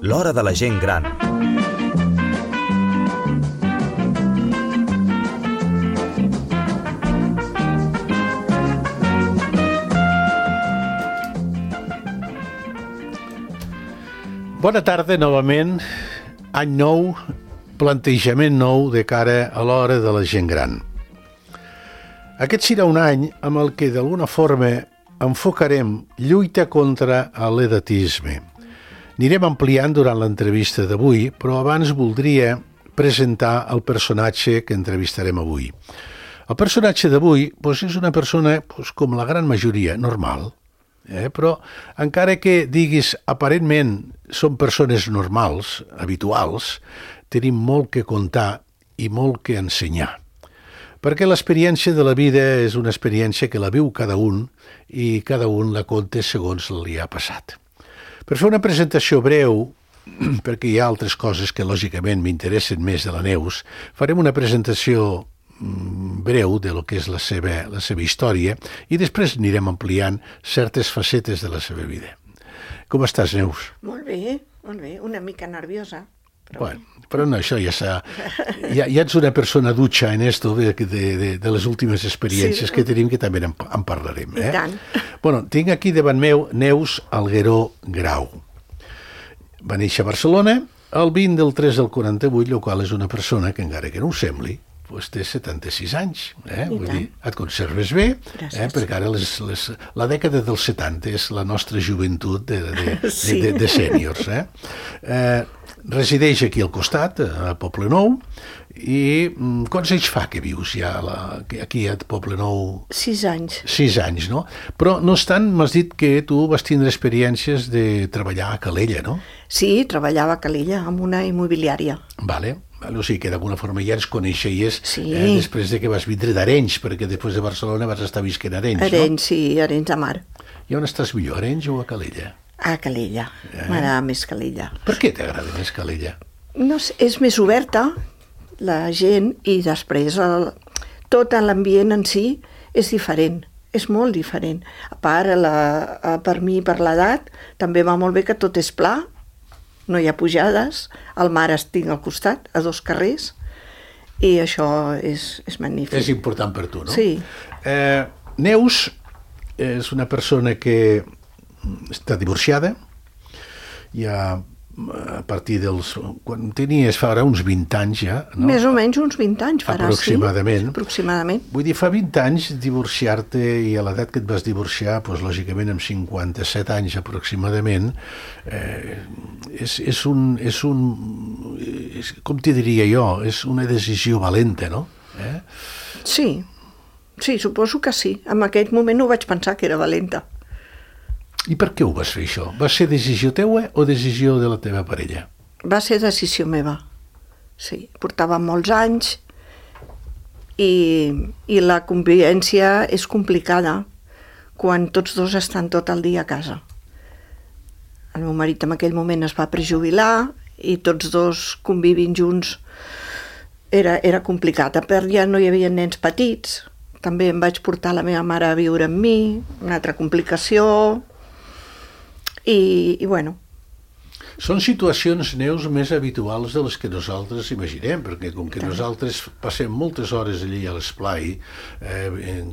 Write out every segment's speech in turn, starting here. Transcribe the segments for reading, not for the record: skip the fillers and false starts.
L'hora de la gent gran. Bona tarda novament, any nou, plantejament nou de cara a l'hora de la gent gran. Aquest serà un any amb el que d'alguna forma enfocarem lluita contra l'edatisme. Anirem ampliant durant l'entrevista d'avui, però abans voldria presentar el personatge que entrevistarem avui. El personatge d'avui és una persona com la gran majoria, normal, però encara que diguis aparentment són persones normals, habituals, tenim molt que contar i molt que ensenyar. Perquè l'experiència de la vida és una experiència que la viu cada un i cada un la conta segons li ha passat. Per fer una presentació breu, perquè hi ha altres coses que lògicament m'interessen més de la Neus, farem una presentació breu de lo que és la seva història i després anirem ampliant certes facetes de la seva vida. Com estàs, Neus? Molt bé, una mica nerviosa. Però no, això ja ets una persona dutxa en esto de les últimes experiències que tenim, que també en parlarem. I tant. Tinc aquí davant meu Neus Algueró Grau. Va néixer a Barcelona el 20 del 3 del 48, el qual és una persona que, encara que no ho sembli, té 76 anys, vull dir, et conserves bé, perquè ara la dècada dels 70 és la nostra joventut de sèniors. Resideix aquí al costat, a Poblenou, i quants anys fa que vius ja aquí a Poblenou? 6 anys. 6 anys, no? Però no obstant, m'has dit que tu vas tindre experiències de treballar a Calella, no? Sí, treballava a Calella, en una immobiliària. Vale. O sigui que d'alguna forma ja ens coneixeies després de que vas vindre d'Arenys, perquè després de Barcelona vas estar visquent a Arenys, no? Arenys, sí, Arenys de Mar. I on estàs millor, a Arenys o a Calella? A Calella, m'agrada més Calella. Per què t'agrada més Calella? No sé, és més oberta la gent i després tot l'ambient en si és diferent, és molt diferent. A part, per mi, per l'edat, també va molt bé que tot és pla, no hi ha pujades, el mar estic al costat, a 2 carrers, i això és magnífic. És important per tu, no? Sí. Neus és una persona que està divorciada, ja a partir dels... Quan tenies, farà uns 20 anys ja, no? Més o menys uns 20 anys farà, aproximadament. Sí. Aproximadament. Vull dir, fa 20 anys divorciar-te, i a l'edat que et vas divorciar, lògicament amb 57 anys aproximadament, com t'hi diria jo, és una decisió valenta, no? Sí, suposo que sí. En aquell moment no vaig pensar que era valenta. I per què ho vas fer, això? Va ser decisió teua o decisió de la teva parella? Va ser decisió meva, sí. Portava molts anys i la convivència és complicada quan tots dos estan tot el dia a casa. El meu marit en aquell moment es va prejubilar i tots dos convivint junts era complicat. A part, ja no hi havia nens petits, també em vaig portar la meva mare a viure amb mi, una altra complicació. I bueno. Són situacions, Neus, més habituals de les que nosaltres imaginem, perquè com que nosaltres passem moltes hores allí a l'esplai,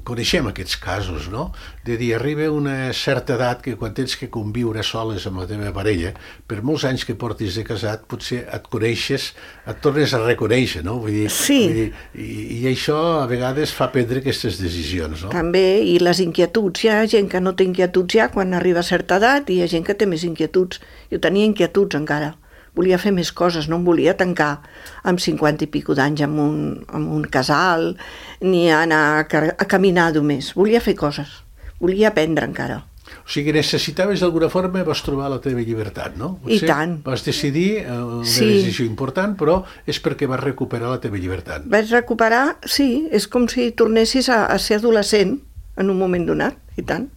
coneixem aquests casos, no? De dir, arriba una certa edat que quan tens que conviure soles amb la teva parella, per molts anys que portis de casat, potser et coneixes, et tornes a reconèixer, no? Vull dir, sí. I això a vegades fa prendre aquestes decisions, no? També, i les inquietuds. Hi ha gent que no té inquietuds ja quan arriba a certa edat i hi ha gent que té més inquietuds. Jo tenia inquietuds encara. Volia fer més coses, no em volia tancar amb 50 i pico d'anys en un casal, ni anar a caminar només. Volia fer coses, volia aprendre encara. O sigui, necessitaves d'alguna forma, vas trobar la teva llibertat, no? I tant. Vas decidir una decisió important, però és perquè vas recuperar la teva llibertat. Vaig recuperar, sí, és com si tornessis a ser adolescent en un moment donat, i tant.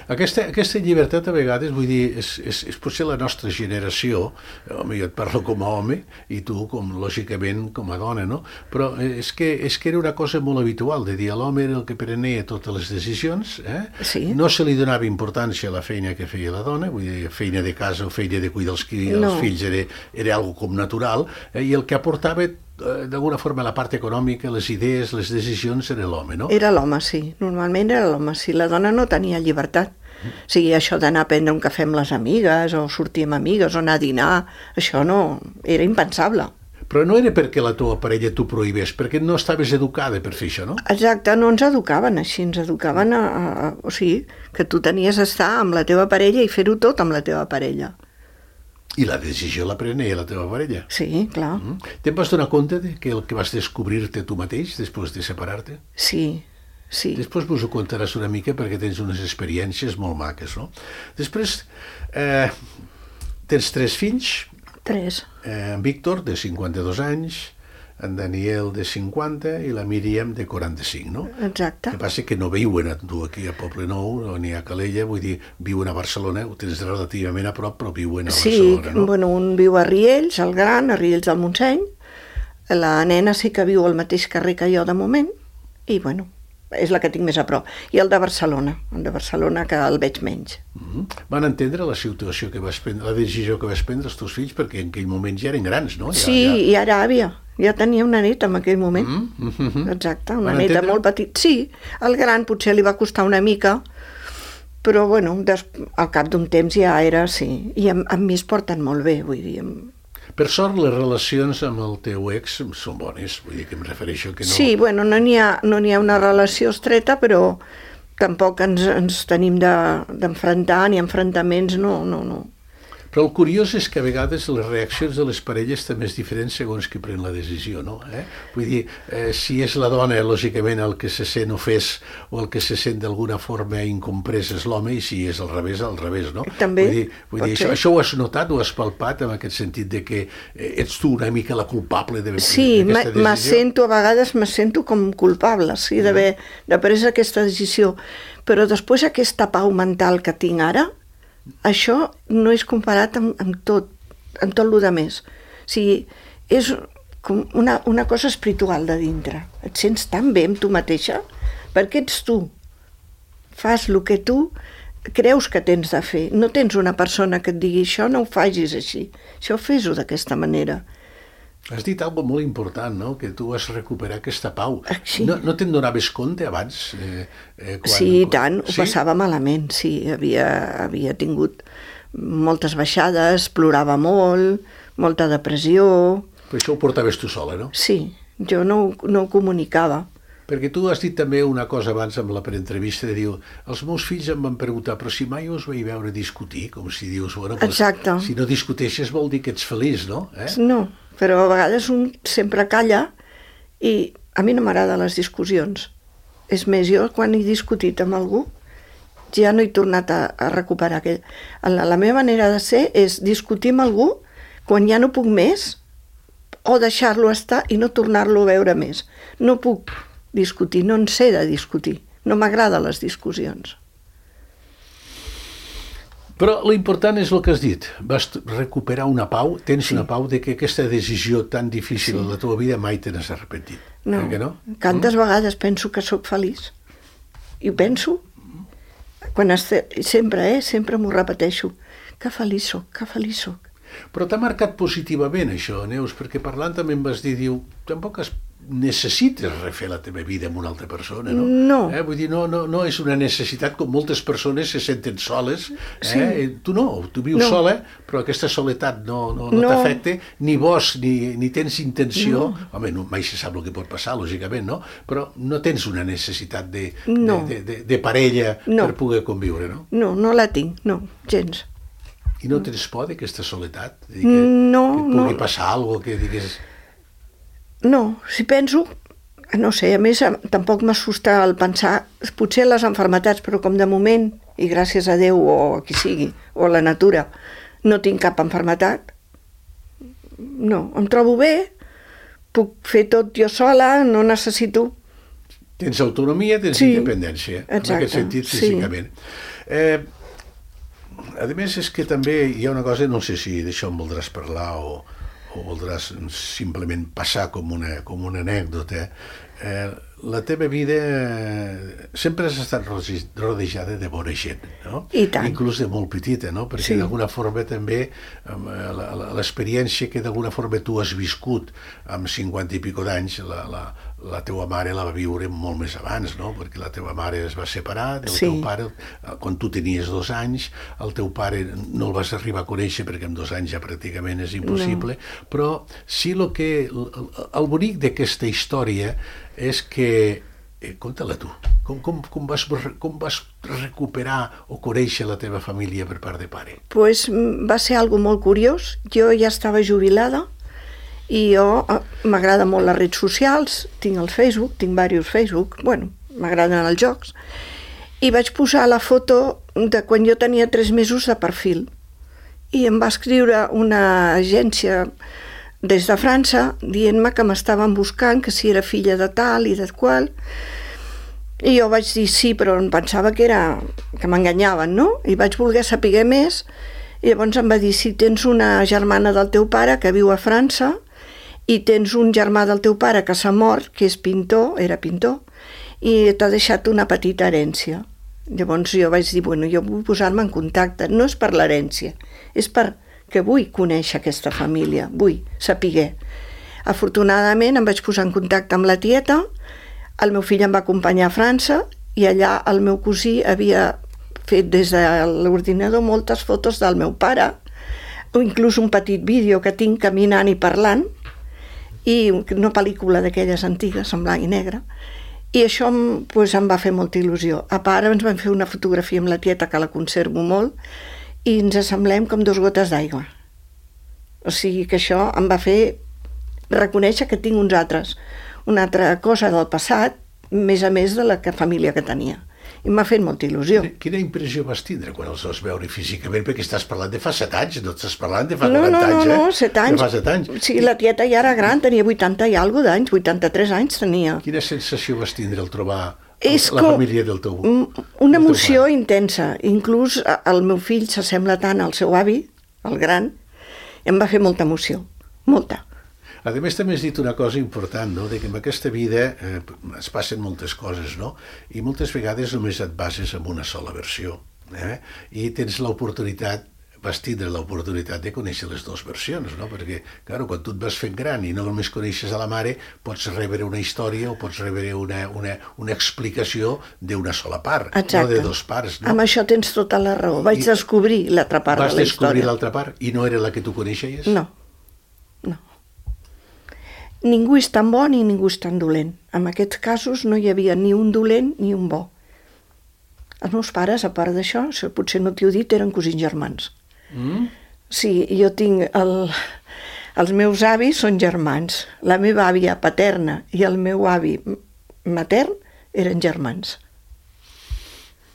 Aquesta llibertat a vegades, vull dir, és potser la nostra generació, home, jo et parlo com a home i tu, lògicament, com a dona, no? Però és que era una cosa molt habitual, de dir a l'home era el que prenia totes les decisions, Sí. No se li donava importància a la feina que feia la dona, vull dir, feina de casa o feina de cuidar els fills era algo com natural, i el que aportava d'alguna forma la part econòmica, les idees, les decisions era l'home, no? Era l'home, sí. Normalment era l'home. Si la dona no tenia llibertat. O sigui, això d'anar a prendre un cafè amb les amigues o sortir amb amigues o anar a dinar, això no... Era impensable. Però no era perquè la teva parella t'ho prohibés, perquè no estaves educada per fer això, no? Exacte, no ens educaven així, ens educaven o sigui, que tu tenies d'estar amb la teva parella i fer-ho tot amb la teva parella. I la decisió la prenia la teva parella. Sí, clar. Te'n vas donar compte que el que vas descobrir-te tu mateix després de separar-te? Sí, sí. Després vos ho contaràs una mica perquè tens unes experiències molt maques, no? Després tens 3 fills. 3. En Víctor, de 52 anys, en Daniel, de 50, i la Míriam, de 45, no? Exacte. El que passa que no viuen tu aquí a Poblenou, ni a Calella, vull dir, viuen a Barcelona, ho tens relativament a prop, però viuen a Barcelona, no? Sí, bueno, un viu a Riells, el gran, a Riells del Montseny, la nena sí que viu al mateix carrer que jo de moment, i bueno, és la que tinc més a prop. I el de Barcelona, que el veig menys. Van entendre la situació que vas prendre, la decisió que vas prendre els teus fills, perquè en aquell moment ja eren grans, no? Sí, i ara àvia. Ja tenia una neta en aquell moment. Exacte, una neta molt petita. Sí, el gran potser li va costar una mica, però bueno, al cap d'un temps ja era, sí. I amb mi es porten molt bé, vull dir. Per sort, les relacions amb el teu ex són bones, vull dir que em refereixo que no... Sí, bueno, no n'hi ha una relació estreta, però tampoc ens tenim d'enfrontar, ni enfrontaments, no. Però el curiós és que a vegades les reaccions de les parelles també és diferent segons qui pren la decisió, no? Vull dir, si és la dona, lògicament, el que se sent ofès o el que se sent d'alguna forma incomprès és l'home, i si és al revés, no? També, vull dir això ho has notat, ho has palpat, en aquest sentit de que ets tu una mica la culpable sí, d'aquesta decisió? a vegades me sento com culpable, sí, d'haver pres aquesta decisió, però després aquesta pau mental que tinc ara, això no és comparat amb tot el que més. O sigui, és com una cosa espiritual de dintre. Et sents tan bé amb tu mateixa, perquè ets tu. Fas el que tu creus que tens de fer. No tens una persona que et digui això no ho facis així, això fes-ho d'aquesta manera. Has dit alguna cosa molt important, no? Que tu vas recuperar aquesta pau. Sí. No te'n donaves compte abans? Sí, i tant, ho passava malament, sí. Havia tingut moltes baixades, plorava molt, molta depressió... Però això ho portaves tu sola, no? Sí, jo no ho comunicava. Perquè tu has dit també una cosa abans amb la entrevista, de dir, els meus fills em van preguntar, però si mai us vaig veure discutir, com si dius, bueno, doncs, si no discuteixes vol dir que ets feliç, no? No, però a vegades un sempre calla i a mi no m'agraden les discussions. És més, jo quan he discutit amb algú ja no he tornat a recuperar aquell... La meva manera de ser és discutir amb algú quan ja no puc més o deixar-lo estar i no tornar-lo a veure més. No puc discutir, no en sé de discutir. No m'agraden les discussions. Però l'important és el que has dit. Vas recuperar una pau, tens una pau de que aquesta decisió tan difícil de la teva vida mai te n'has arrepentit. No, tantes vegades penso que sóc feliç. I ho penso. Sempre m'ho repeteixo. Que feliç soc. Però t'ha marcat positivament això, Neus, perquè parlant també em vas dir, tampoc necessites refer la teva vida amb una altra persona, no? No. Vull dir, no és una necessitat com moltes persones se senten soles. Tu no, tu vius sola, però aquesta soledat no t'afecta, ni vols, ni tens intenció. Home, mai se sap el que pot passar, lògicament, no? Però no tens una necessitat de parella per poder conviure, no? No la tinc, no, gens. I no tens por d'aquesta soledat? Que et pugui passar alguna cosa que digues... No, si penso, no sé, a més tampoc m'assusta el pensar, potser les malalties, però com de moment, i gràcies a Déu o a qui sigui, o a la natura, no tinc cap malaltia, no, em trobo bé, puc fer tot jo sola, no necessito Tens autonomia, tens independència. Exacte, en aquest sentit, físicament. A més, és que també hi ha una cosa, no sé si d'això en voldràs parlar o voldràs simplement passar com una anècdota. La teva vida sempre has estat rodejada de bona gent, no? I tant. Inclús de molt petita, no? Perquè d'alguna forma també l'experiència que d'alguna forma tu has viscut amb 50 i pico d'anys, la teua mare la va viure molt més abans, no? Perquè la teva mare es va separar del teu pare quan tu tenies 2 anys, el teu pare no el vas arribar a conèixer perquè amb 2 anys ja pràcticament és impossible, però sí el bonic d'aquesta història és que, conta-la tu, com vas recuperar o conèixer la teva família per part de pare? Pues va ser algo molt curiós. Jo ja estava jubilada i m'agrada molt les redes socials, tinc el Facebook, tinc diversos Facebook, m'agraden els jocs, i vaig posar la foto de quan jo tenia 3 mesos de perfil. I em va escriure una agència des de França, dient-me que m'estaven buscant, que si era filla de tal i de qual. I jo vaig dir sí, però em pensava que m'enganyaven, no? I vaig voler saber més, i llavors em va dir, si tens una germana del teu pare que viu a França, i tens un germà del teu pare que s'ha mort, que és pintor, era pintor, i t'ha deixat una petita herència. Llavors jo vaig dir, jo vull posar-me en contacte, no és per l'herència, és que vull conèixer aquesta família, vull saber. Afortunadament em vaig posar en contacte amb la tieta, el meu fill em va acompanyar a França i allà el meu cosí havia fet des de l'ordinador moltes fotos del meu pare, o inclús un petit vídeo que tinc caminant i parlant, i una pel·lícula d'aquelles antigues en blanc i negre, i això em va fer molta il·lusió. A part ens vam fer una fotografia amb la tieta que la conservo molt, i ens assemblem com 2 gotes d'aigua. O sigui que això em va fer reconèixer que tinc una altra cosa del passat, més a més de la família que tenia. I m'ha fet molta il·lusió. Quina impressió vas tindre quan els vas veure físicament? Perquè estàs parlant de fa 7 anys, no estàs parlant de fa 40 anys, No, 7 anys. De fa 7 anys. Sí, la tieta ja era gran, tenia 80 i alguna d'anys, 83 anys tenia. Quina sensació vas tindre al trobar la família del teu pare? Una emoció intensa. Inclús el meu fill s'assembla tant al seu avi, el gran, i em va fer molta emoció, molta. A més, també has dit una cosa important, no? De que en aquesta vida es passen moltes coses, no? I moltes vegades només et bases en una sola versió. I tens l'oportunitat, vas tindre l'oportunitat de conèixer les 2 versions, no? Perquè, clar, quan tu et vas fent gran i no només coneixes a la mare, pots rebre una història o pots rebre una explicació d'una sola part, no de 2 parts. No? Amb això tens tota la raó. Vaig descobrir l'altra part de la història. Vas descobrir l'altra part i no era la que tu coneixes? No. Ningú és tan bo ni ningú és tan dolent. En aquests casos no hi havia ni un dolent ni un bo. Els meus pares, a part d'això, potser no t'ho he dit, eren cosins germans. Sí, jo tinc els meus avis són germans. La meva àvia paterna i el meu avi matern eren germans.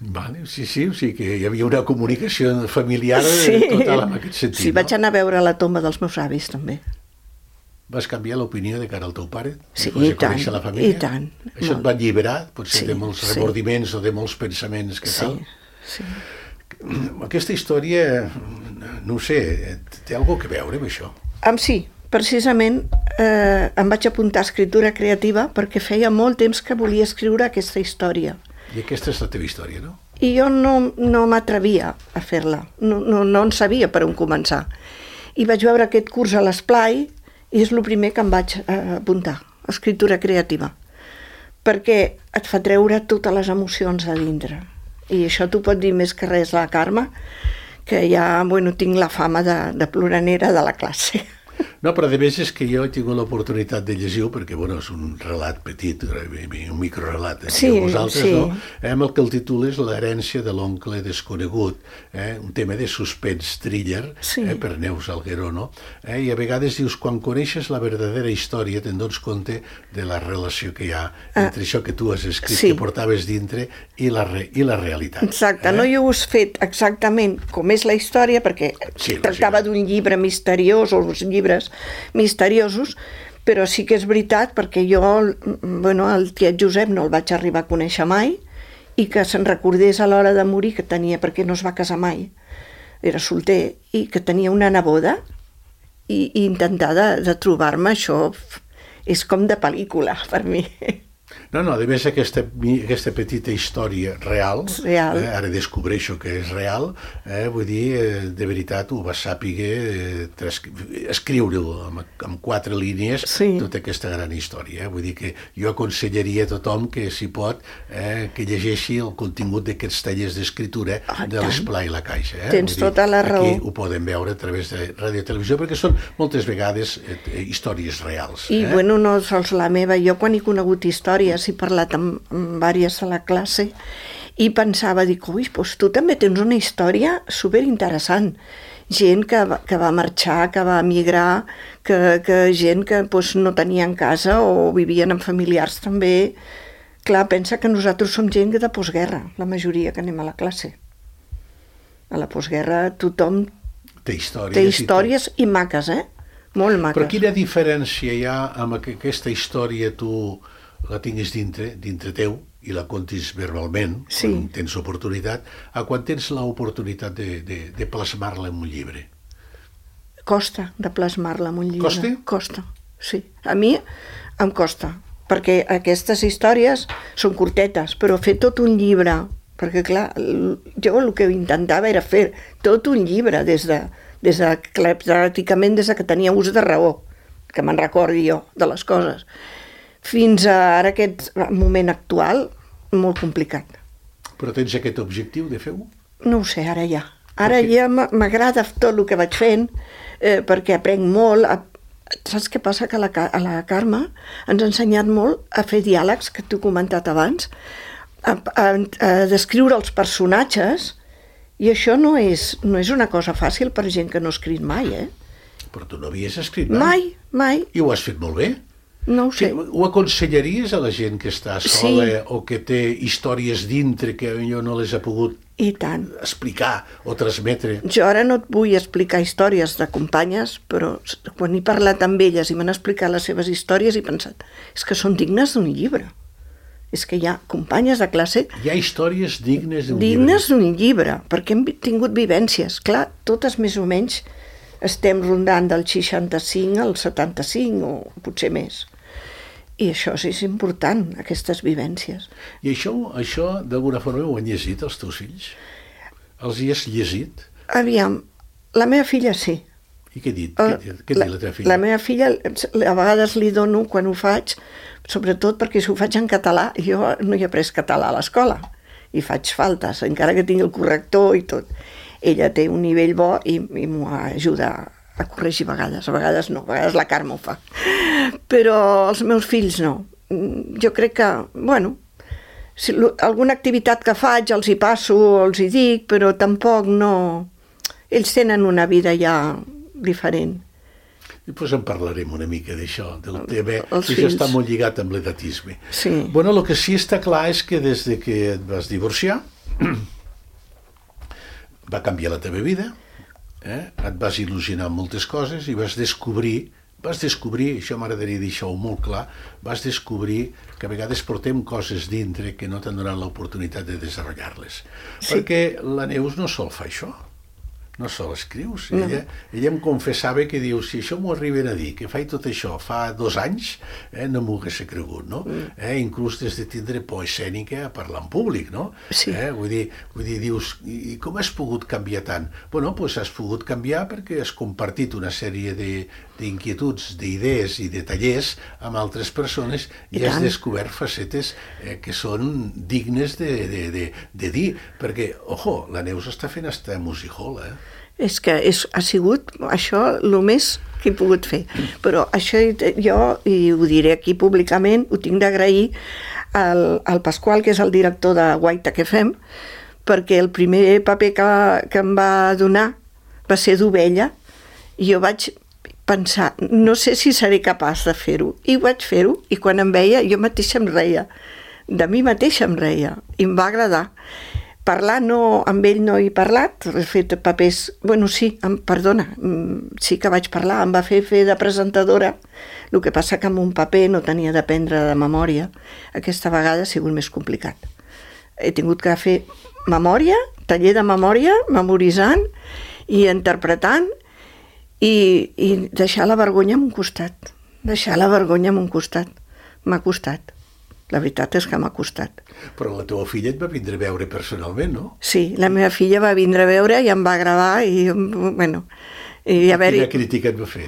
Vale, sí, o sigui que hi havia una comunicació familiar total en aquest sentit. Sí, vaig anar a veure la tomba dels meus avis, també. Vas canviar l'opinió de cara al teu pare? Sí, i tant, i tant. Això et va alliberar, potser de molts remordiments o de molts pensaments que tal? Sí. Aquesta història, no ho sé, té alguna cosa a veure amb això? Sí, precisament em vaig apuntar a escriptura creativa perquè feia molt temps que volia escriure aquesta història. I aquesta és la teva història, no? I jo no m'atrevia a fer-la, no en sabia per on començar. I vaig veure aquest curs a l'Esplai i és el primer que em vaig apuntar, escriptura creativa, perquè et fa treure totes les emocions a dintre. I això t'ho pot dir més que res la Carme, que ja tinc la fama de ploranera de la classe. No, però a més és que jo he tingut l'oportunitat de llegir-ho perquè, és un relat petit, un microrelat, vosaltres, no? Amb el que el títol és L'herència de l'oncle desconegut, un tema de suspens thriller, per Neus Algueró, no? I a vegades dius, quan coneixes la verdadera història, te'n dones compte de la relació que hi ha entre això que tu has escrit, que portaves dintre, i la realitat. Exacte, no hi ho has fet exactament com és la història, perquè tractava d'un llibre misteriós, o uns llibres misteriosos, Però sí que és veritat, perquè jo, el tiet Josep no el vaig arribar a conèixer mai, i que se'n recordés a l'hora de morir que tenia, perquè no es va casar mai, era solter, i que tenia una neboda, i intentar de trobar-me, això és com de pel·lícula per mi. No, a més aquesta petita història real, ara descobreixo que és real, vull dir, de veritat ho vas saber escriure-ho amb 4 línies, tota aquesta gran història. Vull dir que jo aconsellaria a tothom que, si pot, que llegeixi el contingut d'aquests tallers d'escriptura de l'Esplà i la Caixa. Tens tota la raó. Aquí ho poden veure a través de ràdio i televisió, perquè són moltes vegades històries reals. I no sols la meva, jo quan he conegut històries he parlat amb diverses a la classe i pensava, doncs tu també tens una història superinteressant. Gent que va marxar, que va emigrar, que gent que no tenien casa o vivien amb familiars també. Clar, pensa que nosaltres som gent de postguerra, la majoria que anem a la classe. A la postguerra tothom té històries i maques, molt maques. Però quina diferència hi ha amb aquesta història tu la tinguis dintre teu i la contis verbalment, quan tens oportunitat, a quan tens l'oportunitat de plasmar-la en un llibre? Costa de plasmar-la en un llibre. Costa? Costa, sí. A mi em costa, perquè aquestes històries són curtetes, però fer tot un llibre, perquè clar, jo el que intentava era fer tot un llibre pràcticament des que tenia ús de raó, que me'n recordi jo de les coses, fins a ara aquest moment actual, molt complicat. Però tens aquest objectiu de fer-ho? No ho sé, ara ja. Ara ja m'agrada tot el que vaig fent, perquè aprenc molt. Saps què passa? Que a la Carme ens ha ensenyat molt a fer diàlegs, que t'ho he comentat abans, a descriure els personatges, i això no és una cosa fàcil per gent que no ha escrit mai, Però tu no havies escrit mai? Mai. I ho has fet molt bé? No ho sé. Ho aconsellaries a la gent que està sola o que té històries dintre que jo no les ha pogut explicar o transmetre? Jo ara no et vull explicar històries de companyes, però quan he parlat amb elles i m'han explicat les seves històries he pensat, és que són dignes d'un llibre. És que hi ha companyes de classe... Hi ha històries dignes d'un llibre. Dignes d'un llibre, perquè hem tingut vivències. Clar, totes més o menys estem rondant del 65 al 75 o potser més. I això és important, aquestes vivències. I això d'alguna forma ho han llegit els teus fills? Els hi has llegit? Aviam, la meva filla sí. I què ha dit? Què diu la teva filla? La meva filla, a vegades li dono quan ho faig, sobretot perquè si ho faig en català, jo no he après català a l'escola i faig faltes, encara que tingui el corrector i tot. Ella té un nivell bo i m'ho ajuda a corregir a vegades no, a vegades la Carme ho fa. Però els meus fills no. Jo crec que, si alguna activitat que faig els hi passo, els hi dic, però tampoc no... Ells tenen una vida ja diferent. I doncs en parlarem una mica d'això, del tema, que això està molt lligat amb l'edatisme. Sí. El que sí està clar és que des que et vas divorciar va canviar la teva vida, et vas il·lusionar amb moltes coses i vas descobrir, això m'agradaria dir-ho molt clar, vas descobrir que a vegades portem coses dintre que no t'han donat l'oportunitat de desenvolupar-les. Perquè la Neus no sol fa això. No sol escrius. Ella em confessava que diu, si això m'ho arriben a dir, que faig tot això fa 2 anys, no m'ho hagués cregut, no? Inclús des de tindre por escènica a parlar en públic, no? Sí. Vull dir, dius, i com has pogut canviar tant? Doncs has pogut canviar perquè has compartit una sèrie d'inquietuds, d'idees i de tallers amb altres persones i has descobert facetes que són dignes de dir, perquè, la Neus està fent hasta music hall, És que ha sigut això el més que he pogut fer. Però això jo, i ho diré aquí públicament, ho tinc d'agrair al Pasqual, que és el director de Guaita que fem, perquè el primer paper que em va donar va ser d'ovella, i jo vaig pensar, no sé si seré capaç de fer-ho, i vaig fer-ho, i quan em veia jo mateixa em reia, de mi mateixa em reia, i em va agradar, parlar no, amb ell no he parlat, he fet papers... Bueno, sí, sí que vaig parlar, em va fer de presentadora, el que passa que amb un paper no tenia d'aprendre de memòria. Aquesta vegada ha sigut més complicat. He tingut que fer memòria, taller de memòria, memoritzant i interpretant i deixar la vergonya en un costat. M'ha costat. La veritat és que m'ha costat. Però la teva filla et va vindre a veure personalment, no? Sí, la meva filla va vindre a veure i em va gravar i, bueno... Quina crítica et va fer?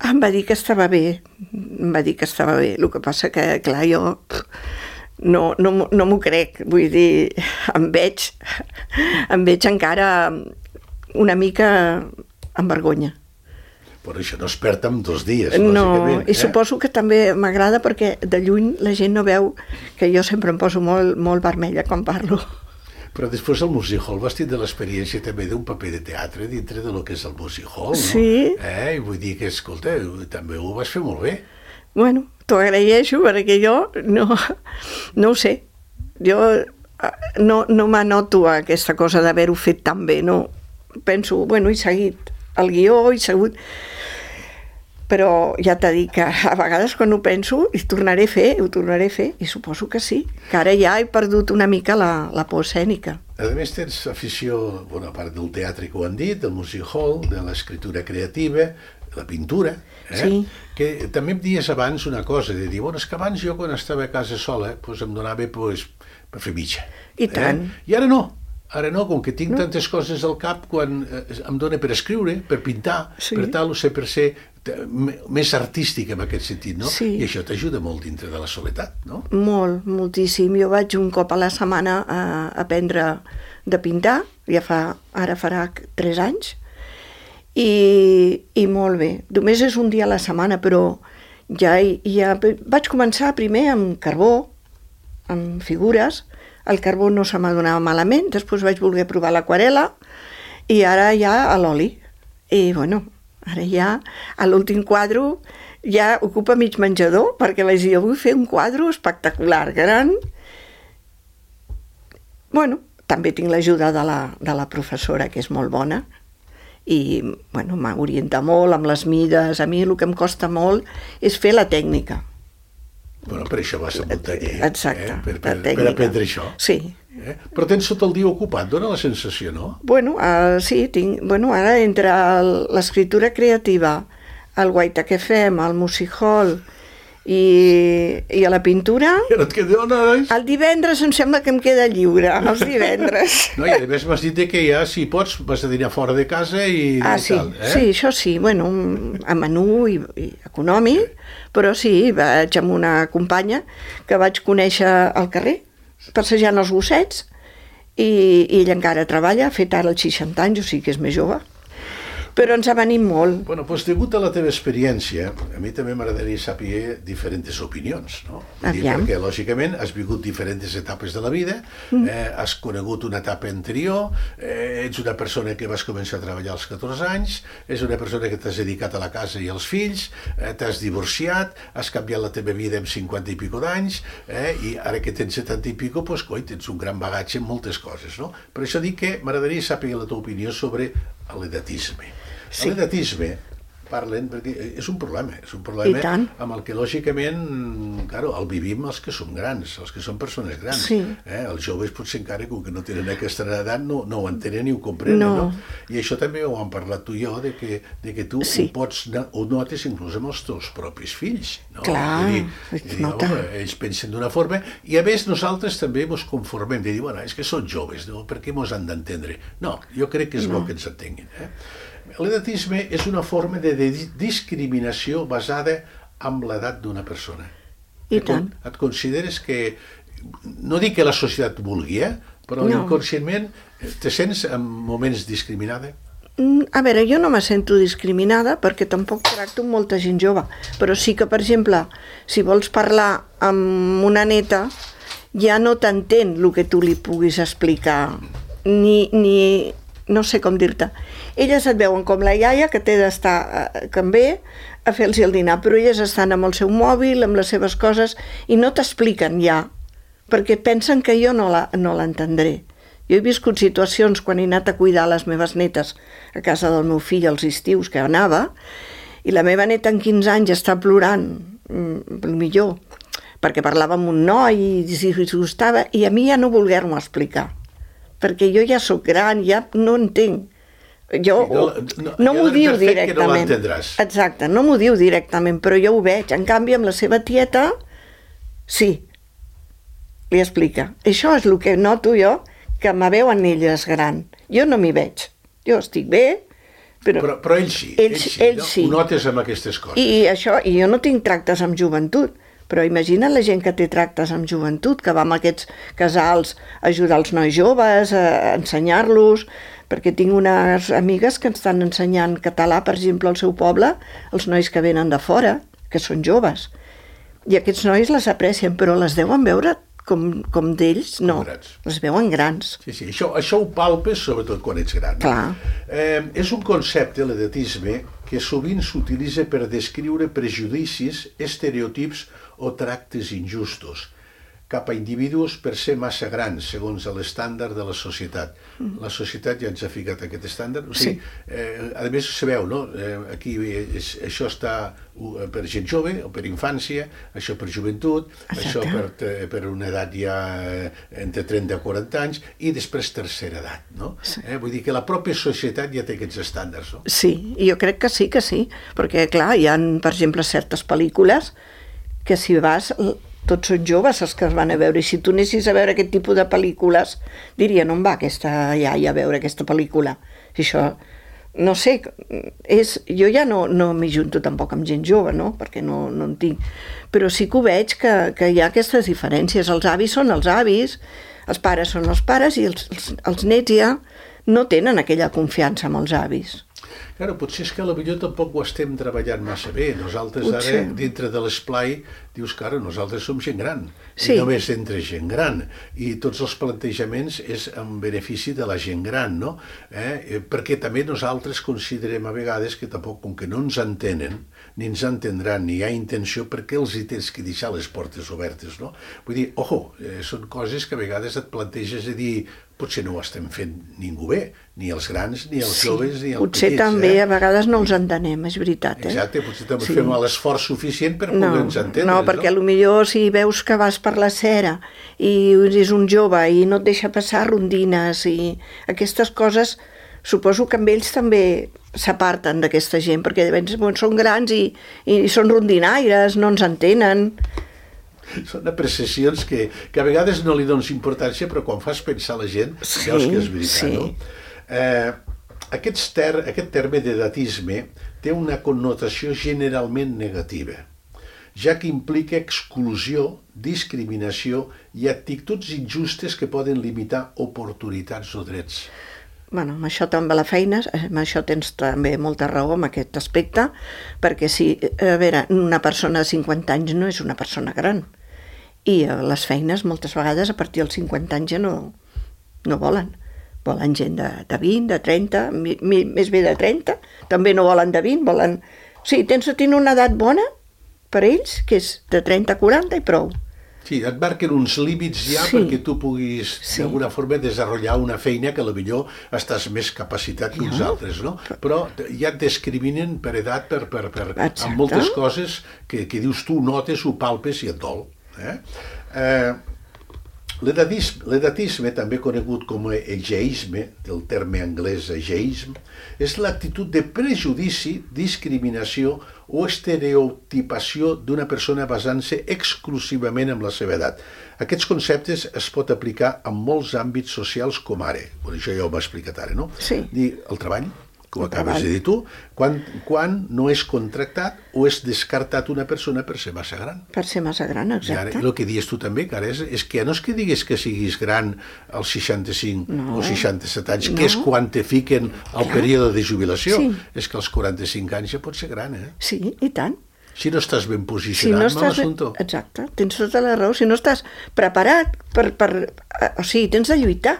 Em va dir que estava bé. El que passa que, clar, jo no m'ho crec. Vull dir, em veig encara una mica amb vergonya. Però això no es perd en 2 dies, no, lògicament. I suposo que també m'agrada perquè de lluny la gent no veu que jo sempre em poso molt, molt vermella quan parlo. Però després el Music Hall vas tindre l'experiència també d'un paper de teatre dintre de lo que és el Music Hall, no? Sí. I vull dir que, escolta, també ho vas fer molt bé. Bueno, t'ho agraeixo perquè jo no ho sé. Jo no m'anoto aquesta cosa d'haver-ho fet tan bé, no. Penso, bueno, he seguit el guió, he segut... Però ja t'he dit que a vegades quan ho penso ho tornaré a fer, i suposo que sí, que ara ja he perdut una mica la por escènica. A més tens afició, bueno, a part del teatre que ho han dit, del music hall, de l'escriptura creativa, la pintura, Sí. Que també em dies abans una cosa, de dir, bueno, és que abans jo quan estava a casa sola doncs em donava per fer mitja. I tant. I ara no, com que tinc tantes coses al cap, quan em dona per escriure, per pintar, per tal, per ser més artístic en aquest sentit, no? Sí. I això t'ajuda molt dintre de la soledat, no? Molt, moltíssim. Jo vaig un cop a la setmana a aprendre de pintar, ara farà 3 anys, i molt bé. Només és un dia a la setmana, però ja vaig començar primer amb carbó, amb figures. El carbó no se m'adonava malament, després vaig voler provar l'aquarela i ara ja a l'oli. I bueno, ara ja a l'últim quadre ja ocupa mig menjador, perquè vaig dir, jo vull fer un quadre espectacular, gran. Bueno, també tinc l'ajuda de la professora, que és molt bona, i bueno, m'orienta molt amb les mides. A mi el que em costa molt és fer la tècnica. Bueno, per això vas a un taller. Exacte, per aprendre això. Sí. Però tens tot el dia ocupat, dona la sensació, no? Bueno, sí, ara entre l'escriptura creativa, el guaita que fem, el music hall i a la pintura... I no et queda hores? El divendres em sembla que em queda lliure, els divendres. No, i a més m'has dit que ja, si pots, vas a dinar fora de casa i sí, tal, sí, això sí, bueno, a menú i econòmic, però sí, vaig amb una companya que vaig conèixer al carrer, passejant els gossets, i ella encara treballa, ha fet ara els 60 anys, o sigui que és més jove. Però ens ha venit molt. Bueno, doncs degut a la teva experiència, a mi també m'agradaria saber diferents opinions, no? Perquè, lògicament, has viscut diferents etapes de la vida, has conegut una etapa anterior, ets una persona que vas començar a treballar als 14 anys, és una persona que t'has dedicat a la casa i als fills, t'has divorciat, has canviat la teva vida en 50 i pico d'anys, i ara que tens 70 i pico, doncs, coi, tens un gran bagatge en moltes coses, no? Per això dic que m'agradaria saber la teva opinió sobre l'edatisme. Sí. L'edatisme, parlen, perquè és un problema amb el que lògicament, claro, el vivim els que som grans, els que som persones grans. Sí. Els joves potser encara, com que no tenen aquesta edat, no ho entenen ni ho comprenen, no? I això també ho hem parlat tu i jo, de que tu ho notes inclús amb els teus propis fills, no? Clar, ells pensen d'una forma, i a més nosaltres també ens conformem, de dir, bueno, és que són joves, no? Per què ens han d'entendre? No, jo crec que és bo que ens entenguin, L'edatisme és una forma de discriminació basada en l'edat d'una persona. I tant. Et consideres que, no dic que la societat vulgui, però inconscientment te sents en moments discriminada? A veure, jo no me sento discriminada perquè tampoc tracto amb molta gent jove, però sí que, per exemple, si vols parlar amb una neta, ja no t'entén el que tu li puguis explicar, ni no sé com dir-te. Elles et veuen com la iaia que té d'estar que em ve a fer-los el dinar, però elles estan amb el seu mòbil, amb les seves coses, i no t'expliquen ja, perquè pensen que jo no l'entendré. Jo he viscut situacions quan he anat a cuidar les meves netes a casa del meu fill als estius que anava, i la meva neta en 15 anys està plorant, millor, perquè parlava amb un noi i si gustava, i a mi ja no voler-m'ho explicar, perquè jo ja sóc gran, ja no entenc. Jo, no m'ho diu directament. Exacte, no m'ho diu directament, però jo ho veig. En canvi, amb la seva tieta, sí, li explica. Això és el que noto jo, que me veuen elles gran. Jo no m'hi veig. Jo estic bé, però ell sí. Ell sí. Ho notes amb aquestes coses. I jo no tinc tractes amb joventut, però imagina't la gent que té tractes amb joventut, que va amb aquests casals a ajudar els nois joves, a ensenyar-los, perquè tinc unes amigues que estan ensenyant català, per exemple, al seu poble, els nois que venen de fora, que són joves. I aquests nois les aprecien, però les deuen veure com d'ells, no, les veuen grans. Sí, això ho palpes sobretot quan ets gran. Clar. És un concepte, l'edatisme, que sovint s'utilitza per descriure prejudicis, estereotips o tractes injustos cap a individus per ser massa grans, segons l'estàndard de la societat. La societat ja ens ha ficat aquest estàndard. O sigui, a més, sabeu, no? Aquí això està per gent jove o per infància, això per joventut, això per una edat ja entre 30 i 40 anys, i després tercera edat, no? Vull dir que la pròpia societat ja té aquests estàndards, no? Sí, jo crec que sí, perquè, clar, hi ha, per exemple, certes pel·lícules que si vas... Tots són joves els que es van a veure, i si tu anessis a veure aquest tipus de pel·lícules, dirien, on va aquesta iaia a veure aquesta pel·lícula? I això, no sé, jo ja no m'hi junto tampoc amb gent jove, no? Perquè no en tinc. Però sí que ho veig que hi ha aquestes diferències. Els avis són els avis, els pares són els pares, i els nets ja no tenen aquella confiança amb els avis. Claro, potser és que potser tampoc ho estem treballant massa bé. Nosaltres ara, dintre de l'esplai, dius que ara nosaltres som gent gran. I només entre gent gran. I tots els plantejaments és en benefici de la gent gran, no? Perquè també nosaltres considerem a vegades que tampoc, com que no ens entenen, ni ens entendran, ni hi ha intenció, perquè els hi tens que deixar les portes obertes, no? Vull dir, són coses que a vegades et planteges a dir, potser no ho estem fent ningú bé, ni els grans, ni els joves, ni els petits. Potser també a vegades no els entenem, és veritat. Exacte, potser també fem l'esforç suficient per poder-nos entendre. No, perquè potser si veus que vas per la Cera i és un jove i no et deixa passar rondines i aquestes coses, suposo que amb ells també s'aparten d'aquesta gent, perquè són grans i són rondinaires, no ens entenen. Són apreciacions que a vegades no li dones importància, però quan fas pensar la gent, veus que és veritat, no? Aquest terme d'edatisme té una connotació generalment negativa, ja que implica exclusió, discriminació i actituds injustes que poden limitar oportunitats o drets. Bueno, amb això també la feina, amb això tens també molta raó en aquest aspecte, perquè una persona de 50 anys no és una persona gran, i les feines moltes vegades a partir dels 50 anys ja no volen gent de 20, de 30, més bé de 30, també no volen de 20, volen... O sigui, tens de tenir una edat bona per ells, que és de 30 a 40 i prou. Sí, et marquen uns límits ja perquè tu puguis d'alguna forma desenvolupar una feina que potser estàs més capacitat que uns altres, no? Però ja et discriminen per edat, amb moltes coses que dius tu, notes, ho palpes i et dol. L'edatisme, també conegut com a ageisme, del terme anglès ageism, és l'actitud de prejudici, discriminació o estereotipació d'una persona basant-se exclusivament en la seva edat. Aquests conceptes es pot aplicar en molts àmbits socials com ara. Això ja ho m'ha explicat ara, no? Sí. El treball, que ho acabes de dir tu, quan no és contractat o és descartat una persona per ser massa gran. Per ser massa gran, exacte. I el que dius tu també, que ara és que no és que diguis que siguis gran als 65 o 67 anys, que és quan te fiquen al període de jubilació. És que als 45 anys ja pots ser gran, eh? Sí, i tant. Si no estàs ben posicionat, mal assumpte. Exacte, tens tota la raó. Si no estàs preparat o sigui, tens de lluitar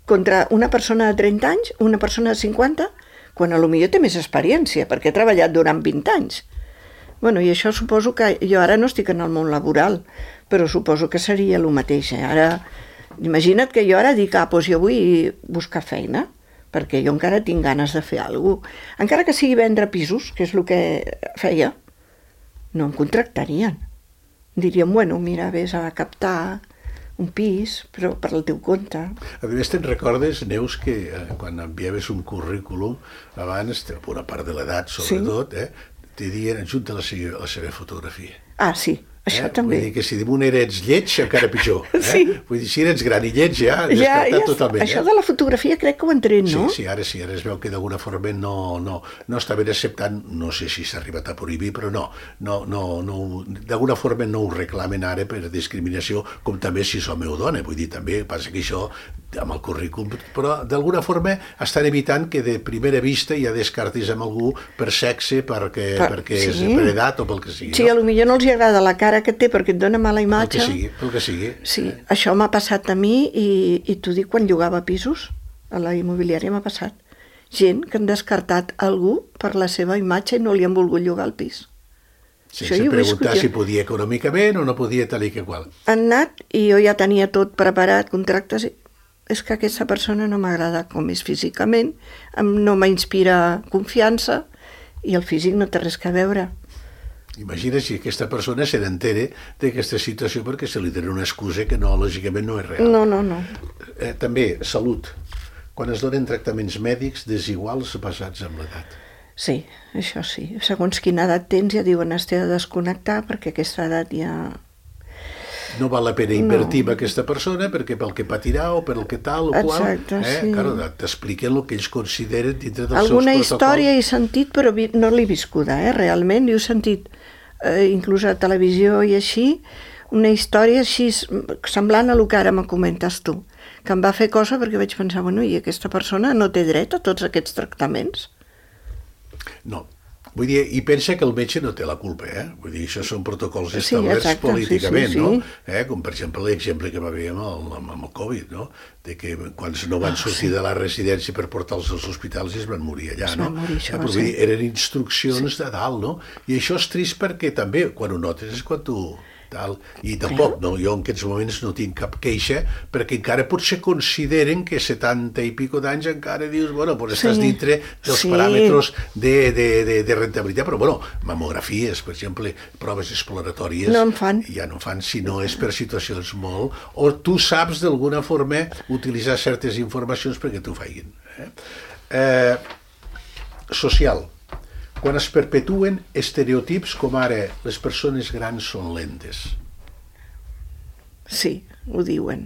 contra una persona de 30 anys, una persona de 50, quan potser té més experiència, perquè he treballat durant 20 anys. Bueno, i això suposo que jo ara no estic en el món laboral, però suposo que seria el mateix. Ara Imagina't que jo ara dic, doncs jo vull buscar feina, perquè jo encara tinc ganes de fer alguna cosa. Encara que sigui vendre pisos, que és el que feia, no em contractarien. Dirien, bueno, mira, vés a captar un pis, però per al teu compte. A més, te'n recordes, Neus, que quan enviaves un currículum, abans, per una part de l'edat, sobretot, te dien adjunta la seva fotografia. Ah, sí, això també. Vull dir que si damunt eres lleig, encara pitjor. Sí. Vull dir, si eres gran i lleig, ja descartat totalment. Això de la fotografia crec que ho han tret, no? Sí, ara es veu que d'alguna forma no estaven acceptant, no sé si s'ha arribat a prohibir, però d'alguna forma no ho reclamen ara per discriminació, com també si som o dona. Vull dir, també passa que això amb el currículum, però d'alguna forma estan evitant que de primera vista ja descartis amb algú per sexe, perquè és per edat o pel que sigui. Sí, potser no els agrada la cara que té perquè et dona mala imatge. Pel que sigui. Sí, això m'ha passat a mi i t'ho dic quan llogava pisos, a la immobiliària m'ha passat. Gent que han descartat algú per la seva imatge i no li han volgut llogar el pis. Sense preguntar si podia econòmicament o no podia tal i que qual. Han anat i jo ja tenia tot preparat, contractes, és que aquesta persona no m'agrada com és físicament, no m'inspira confiança i el físic no té res a veure. Imagina si aquesta persona se n'entere d'aquesta situació perquè se li dona una excusa que lògicament no és real. No. També, salut. Quan es donen tractaments mèdics desiguals basats en l'edat. Sí, això sí. Segons quina edat tens ja diuen has de desconnectar perquè aquesta edat ja... No val la pena invertir en aquesta persona perquè pel que patirà o per el que tal o qual. Exacte, sí. Claro, t'expliquen el que ells consideren dintre dels alguna seus protocols. Història he sentit, però no l'he viscuda, realment. I he sentit, inclús a televisió i així, una història així semblant a el que ara me comentes tu, que em va fer cosa perquè vaig pensar, bueno, i aquesta persona no té dret a tots aquests tractaments? No. Vull dir, i pensa que el metge no té la culpa, Vull dir, això són protocols establerts políticament, no? Com, per exemple, l'exemple que va haver amb el Covid, no? De que quan no van sortir de la residència per portar-los als hospitals es van morir allà, no? Però vull dir, eren instruccions de dalt, no? I això és trist perquè també, quan ho notes, és quan tu... I tampoc, no? Jo en aquests moments no tinc cap queixa perquè encara potser consideren que 70 i pico d'anys encara dius, bueno, doncs estàs dintre dels paràmetres de rentabilitat, però bueno, mamografies, per exemple, proves exploratòries, ja no fan si no és per situacions molt, o tu saps d'alguna forma utilitzar certes informacions perquè t'ho facin. Social. Quan es perpetuen estereotips com ara les persones grans són lentes. Sí, ho diuen.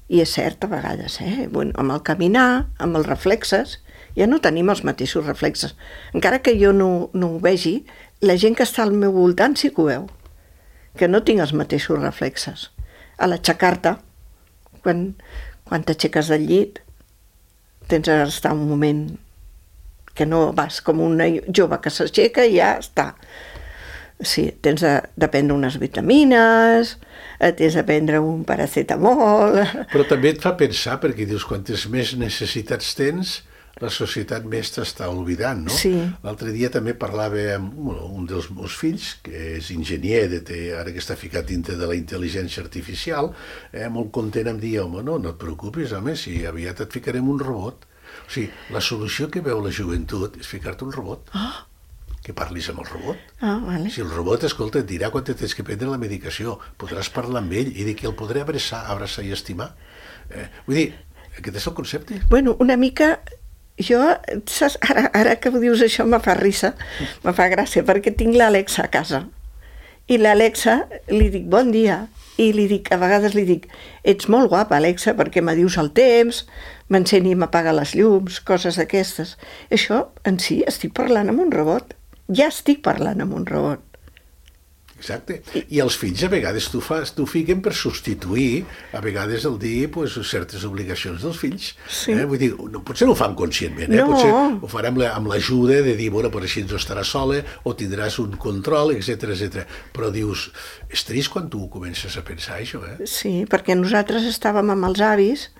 I és cert a vegades, Bueno, amb el caminar, amb els reflexes, ja no tenim els mateixos reflexes. Encara que jo no ho vegi, la gent que està al meu voltant sí que ho veu, que no tinc els mateixos reflexes. A l'aixecar-te, quan t'aixeques del llit, tens d'estar un moment que no vas com una jove que s'aixeca i ja està. Sí, tens de prendre unes vitamines, tens de prendre un paracetamol... Però també et fa pensar, perquè dius, quantes més necessitats tens, la societat més t'està oblidant, no? Sí. L'altre dia també parlava amb un dels meus fills, que és enginyer, ara que està ficat dintre de la intel·ligència artificial, molt content em dir, home, no et preocupis, home, si aviat et ficarem un robot. O sigui, la solució que veu la joventut és ficar-te un robot, que parlis amb el robot. Vale. Si el robot, escolta, et dirà quan tens que prendre la medicació, podràs parlar amb ell i dir que el podré abraçar i estimar. Vull dir, aquest és el concepte. Bueno, una mica... Jo, saps, ara que ho dius això me fa risa, me fa gràcia, perquè tinc l'Alexa a casa. I l'Alexa li dic bon dia, i a vegades li dic, ets molt guapa, Alexa, perquè m'adius el temps, m'encén i m'apaga les llums, coses d'aquestes. Això, en si, estic parlant amb un robot. Ja estic parlant amb un robot. Exacte. I els fills a vegades t'ho fiquen per substituir a vegades el dir certes obligacions dels fills. Vull dir, potser no ho fan conscientment, potser ho faran amb l'ajuda de dir, bueno, així no estaràs sola o tindràs un control, etc. Però dius, és trist quan tu comences a pensar això, Sí, perquè nosaltres estàvem amb els avis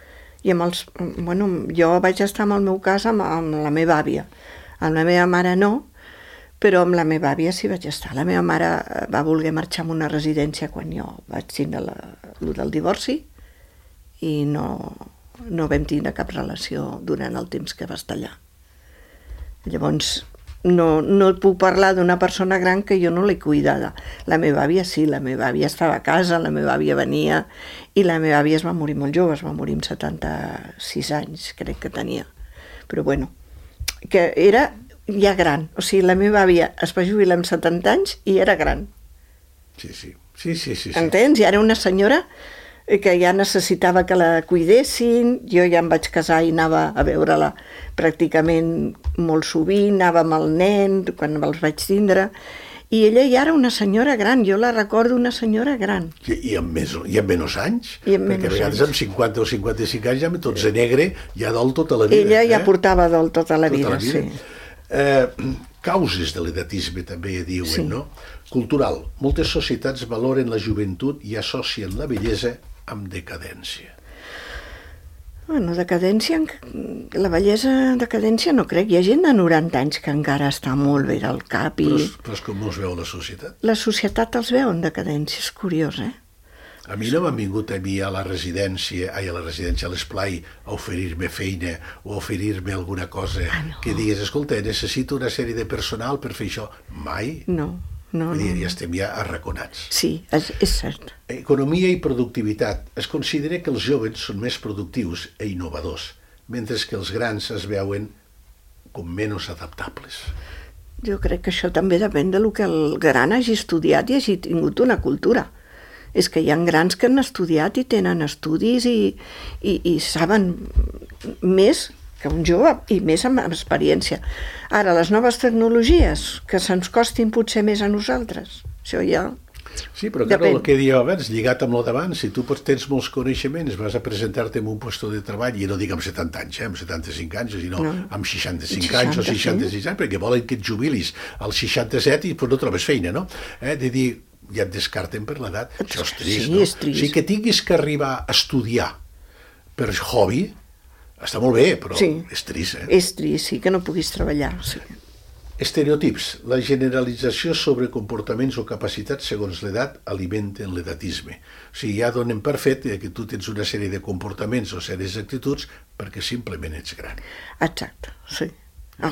i amb els... Bueno, jo vaig estar en el meu cas amb la meva àvia. Amb la meva mare no, però amb la meva àvia sí vaig estar. La meva mare va voler marxar a una residència quan jo vaig tindre el del divorci i no vam tindre cap relació durant el temps que va estar allà. Llavors, no et puc parlar d'una persona gran que jo no l'he cuidada. La meva àvia sí, la meva àvia estava a casa, la meva àvia venia, i la meva àvia es va morir molt jove, es va morir amb 76 anys, crec que tenia. Però bueno, que era ja gran. O sigui, la meva àvia es va jubilar amb 70 anys i era gran. Sí. Entens? I era una senyora que ja necessitava que la cuidessin, jo ja em vaig casar i anava a veure-la pràcticament molt sovint, anava amb el nen quan els vaig tindre, i ella ja era una senyora gran, jo la recordo una senyora gran. I amb menys anys? Perquè a vegades amb 50 o 55 anys ja tots de negre, ja dol tota la vida. Ella ja portava dol tota la vida, sí. Causes de l'edatisme també diuen, no? Cultural. Moltes societats valoren la joventut i associen la bellesa amb decadència. Bueno, decadència, la bellesa, decadència no crec. Hi ha gent de 90 anys que encara està molt bé al cap i... Però és com us veu la societat? La societat els veu en decadència, és curiós, eh? A mi no m'han vingut a mi a l'esplai, a oferir-me feina o a oferir-me alguna cosa que digués, escolta, necessito una sèrie de personal per fer això. Mai. No. Ja estem ja arraconats. Sí, és cert. Economia i productivitat. Es considera que els joves són més productius i innovadors, mentre que els grans es veuen com menys adaptables. Jo crec que això també depèn del que el gran hagi estudiat i hagi tingut una cultura. És que hi ha grans que han estudiat i tenen estudis i saben més que un jove i més amb experiència. Ara, les noves tecnologies, que se'ns costin potser més a nosaltres, això ja... Sí, però clar, el que dieu abans, lligat amb el d'abans, si tu tens molts coneixements, vas a presentar-te en un lloc de treball, i no dic amb 70 anys, amb 75 anys, sinó amb 65 anys o 66 anys, perquè volen que et jubilis als 67 i no trobes feina, no? De dir, ja et descarten per l'edat, això és trist, no? Sí, és trist. O sigui, que tinguis que arribar a estudiar per hobby, està molt bé, però és trist, És trist, sí, que no puguis treballar, sí. Estereotips. La generalització sobre comportaments o capacitats segons l'edat alimenten l'edatisme. O sigui, ja donen per fet que tu tens una sèrie de comportaments o sèries d'actituds perquè simplement ets gran. Exacte, sí.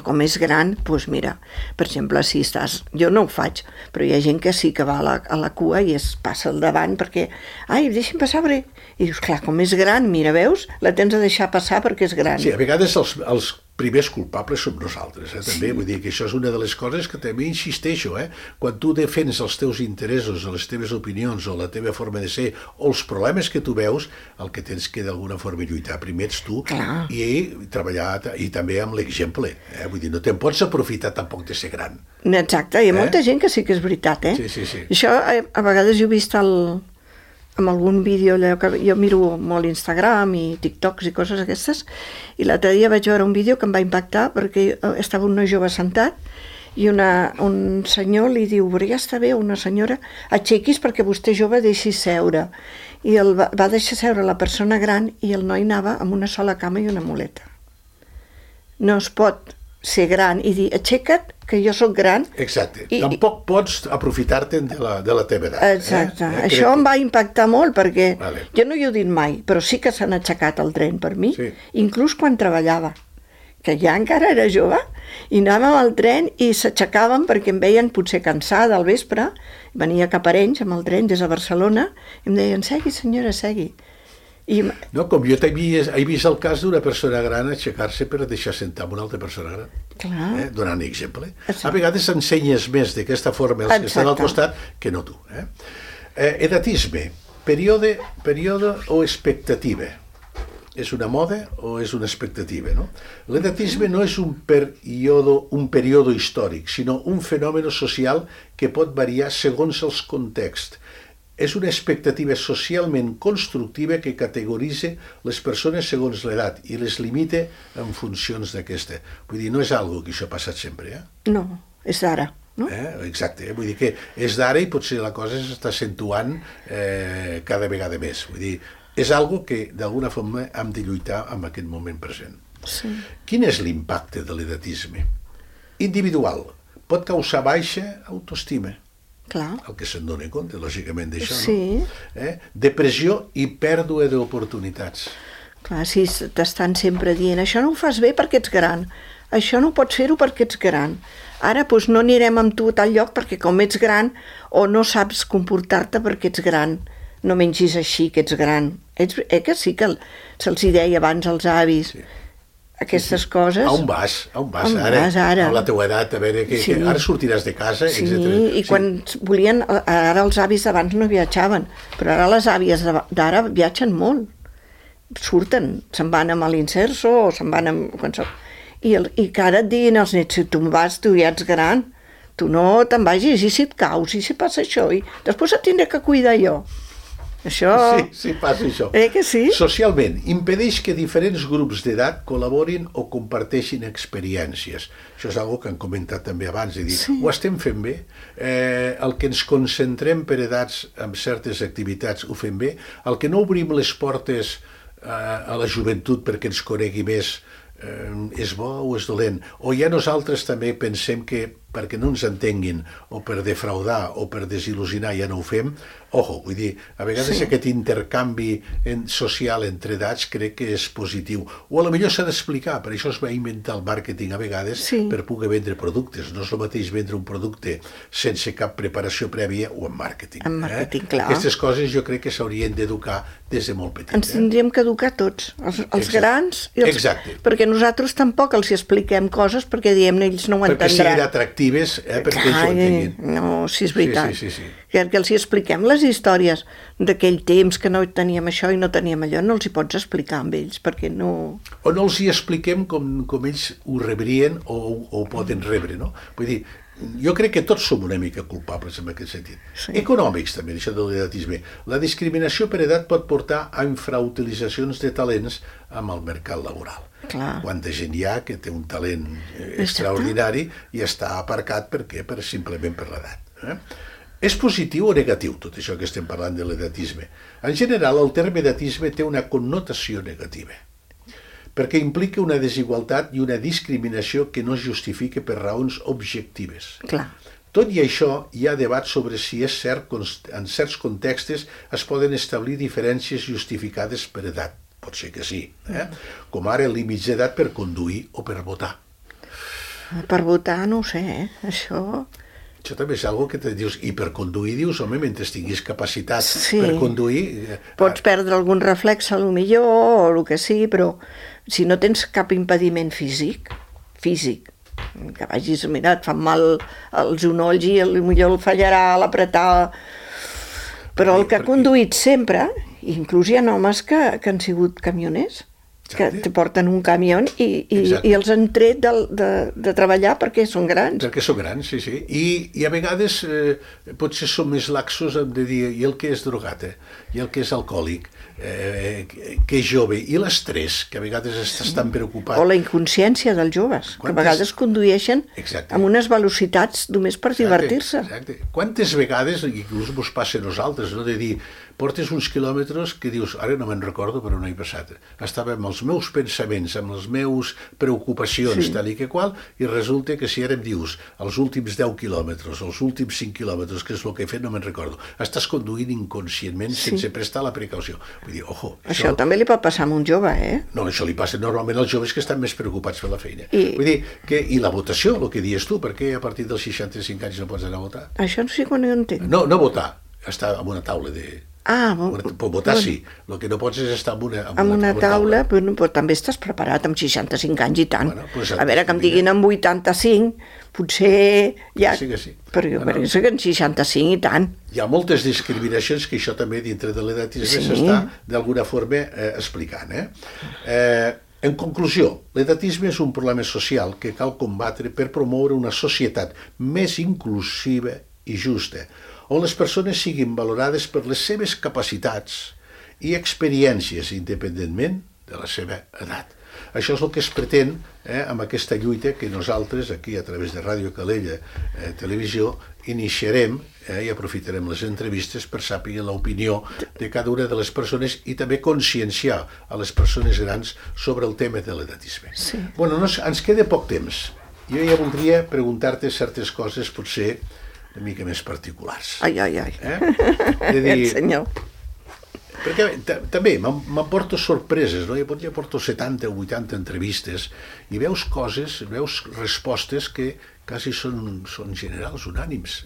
Com és gran, doncs mira, per exemple, si estàs... Jo no ho faig, però hi ha gent que sí que va a la cua i es passa al davant perquè... Ai, deixa'm passar, perquè... I dius, clar, com és gran, mira, veus? La tens de deixar passar perquè és gran. Sí, a vegades els primers culpables som nosaltres, també. Vull dir que això és una de les coses que també insisteixo, Quan tu defens els teus interessos, les teves opinions o la teva forma de ser o els problemes que tu veus, el que tens que d'alguna forma lluitar primer ets tu i treballar i també amb l'exemple. Vull dir, no te'n pots aprofitar tampoc de ser gran. Exacte, hi ha molta gent que sí que és veritat, Sí. Això a vegades jo he vist amb algun vídeo, allò que jo miro molt Instagram i TikToks i coses aquestes, i l'altre dia vaig veure un vídeo que em va impactar perquè estava un noi jove sentat i un senyor li diu, ja està bé, una senyora, aixequis perquè vostè jove deixi seure. I va deixar seure la persona gran i el noi anava amb una sola cama i una muleta. No es pot ser gran i dir, aixeca't, que jo sóc gran. Exacte. Tampoc pots aprofitar-te'n de la teva edat. Exacte. Això em va impactar molt perquè jo no hi he dit mai, però sí que s'han aixecat el tren per mi, inclús quan treballava, que ja encara era jove, i anàvem al tren i s'aixecaven perquè em veien potser cansada al vespre, venia cap a Arenys amb el tren des de Barcelona, i em deien, segui senyora, segui. No, com jo he vist el cas d'una persona gran aixecar-se per deixar sentar una altra persona gran, donant exemple. A vegades ensenyes més d'aquesta forma els que estan al costat que no tu. Edatisme, període o expectativa. És una moda o és una expectativa, no? L'edatisme no és un període històric, sinó un fenomen social que pot variar segons els contexts. És una expectativa socialment constructiva que categoritza les persones segons l'edat i les limita en funcions d'aquesta. Vull dir, no és algo que això ha passat sempre, No, és d'ara, no? Exacte, vull dir que és d'ara i potser la cosa s'està accentuant cada vegada més. Vull dir, és algo que d'alguna forma hem de lluitar en aquest moment present. Sí. Quin és l'impacte de l'edatisme? Individual. Pot causar baixa autoestima. Clar. El que se'n dona compte, lògicament, d'això, Sí. no? Depressió i pèrdua d'oportunitats. Clar, si t'estan sempre dient això no ho fas bé perquè ets gran, això no pots fer-ho perquè ets gran. Ara doncs, no anirem amb tu a tal lloc perquè com ets gran o no saps comportar-te perquè ets gran, no mengis així que ets gran. Que sí que se'ls hi deia abans als avis, sí. Aquestes coses. A on vas? On vas ara? A la teua edat, a veure, que ara sortiràs de casa, sí, etc. I quan volien, ara els avis d'abans no viatjaven, però ara les àvies d'ara viatgen molt. Surten, se'n van amb l'Inserso o se'n van amb... I que ara et diguin els nets, si tu vas, tu ja ets gran, tu no te'n vagis, i si et caus, i si passa això, i després et tindré que cuidar jo. Això... Sí, passa això. Que sí? Socialment, impedeix que diferents grups d'edat col·laborin o comparteixin experiències. Això és una que han comentat també abans, de dir, ho estem fent bé, el que ens concentrem per edats en certes activitats ho fem bé, el que no obrim les portes a la joventut perquè ens conegui més és bo o és dolent, o ja nosaltres també pensem que perquè no ens entenguin o per defraudar o per desil·lusionar ja no ho fem. Ojo, vull dir, a vegades aquest intercanvi social entre edats crec que és positiu, o a lo millor s'ha d'explicar, per això es va inventar el màrqueting a vegades per poder vendre productes. No és el mateix vendre un producte sense cap preparació prèvia o en màrqueting. En màrqueting, clar. Aquestes coses jo crec que s'haurien d'educar des de molt petit. Ens tindríem que educar tots, els grans i els... Exacte. Perquè nosaltres tampoc els expliquem coses perquè diem ells no ho entendran. Perquè siguin atractives, perquè ells ho entenguin. No, sí, és veritat. Sí. Que els hi expliquem les històries d'aquell temps que no teníem això i no teníem allò, no els hi pots explicar amb ells, perquè no... O no els hi expliquem com ells ho rebrien o ho poden rebre, no? Vull dir, jo crec que tots som una mica culpables en aquest sentit. Sí. Econòmics també, això de l'edatisme. La discriminació per edat pot portar a infrautilitzacions de talents amb el mercat laboral. Clar. Quanta gent hi ha que té un talent extraordinari i està aparcat simplement per l'edat. És positiu o negatiu tot això que estem parlant de l'edatisme? En general, el terme edatisme té una connotació negativa, perquè implica una desigualtat i una discriminació que no es justifica per raons objectives. Clar. Tot i això, hi ha debat sobre si és cert que en certs contextos es poden establir diferències justificades per edat. Pot ser que sí, com ara límits d'edat per conduir o per votar. Per votar no ho sé, Això també és una que te dius, i per conduir dius, home, mentre tinguis capacitat per conduir... Pots perdre algun reflex, a lo millor, o el que sigui, però si no tens cap impediment físic, que vagis, mira, et fan mal els genolls i potser el fallarà a l'apretar, però el que ha conduït sempre, inclús hi ha homes que han sigut camioners, que te porten un camió i els han tret de treballar perquè són grans. Perquè són grans, sí. I a vegades potser som més laxos de dir, i el que és drogat, i el que és alcohòlic, que és jove, i l'estrès, que a vegades estàs tan preocupat. O la inconsciència dels joves, que a vegades condueixen amb unes velocitats només per divertir-se. Exacte. Quantes vegades, inclús mos passa a nosaltres, no? De dir, portes uns quilòmetres que dius, ara no me'n recordo però no he passat. Estava amb els meus pensaments, amb les meus preocupacions, tal i que qual, i resulta que si ara em dius els últims 10 quilòmetres, els últims 5 quilòmetres, que és el que he fet, no me'n recordo. Estàs conduint inconscientment sense prestar la precaució. Vull dir, ojo... Això també li pot passar a un jove, No, això li passa normalment als joves que estan més preocupats per la feina. Vull dir, i la votació, el que dius tu, per què a partir dels 65 anys no pots anar a votar? Això no sé quan ho entenc. No votar, estar en una taula de... votar sí, el que no pots és estar en una taula, però també estàs preparat amb 65 anys i tant. A veure, que em diguin amb 85, potser ja... Sí. Però jo penso que en 65 i tant. Hi ha moltes discriminacions que això també dintre de l'edatisme s'està d'alguna forma explicant. En conclusió, l'edatisme és un problema social que cal combatre per promoure una societat més inclusiva i justa, on les persones siguin valorades per les seves capacitats i experiències independentment de la seva edat. Això és el que es pretén amb aquesta lluita que nosaltres, aquí a través de Ràdio Calella Televisió, iniciarem i aprofitarem les entrevistes per saber l'opinió de cada una de les persones i també conscienciar a les persones grans sobre el tema de l'edatisme. Bueno, ens queda poc temps. Jo ja voldria preguntar-te certes coses, potser una mica més particulars. Ai. És a dir, senyor. perquè també m'emporto sorpreses, no? Jo porto 70 o 80 entrevistes i veus coses, veus respostes que quasi són generals, unànims,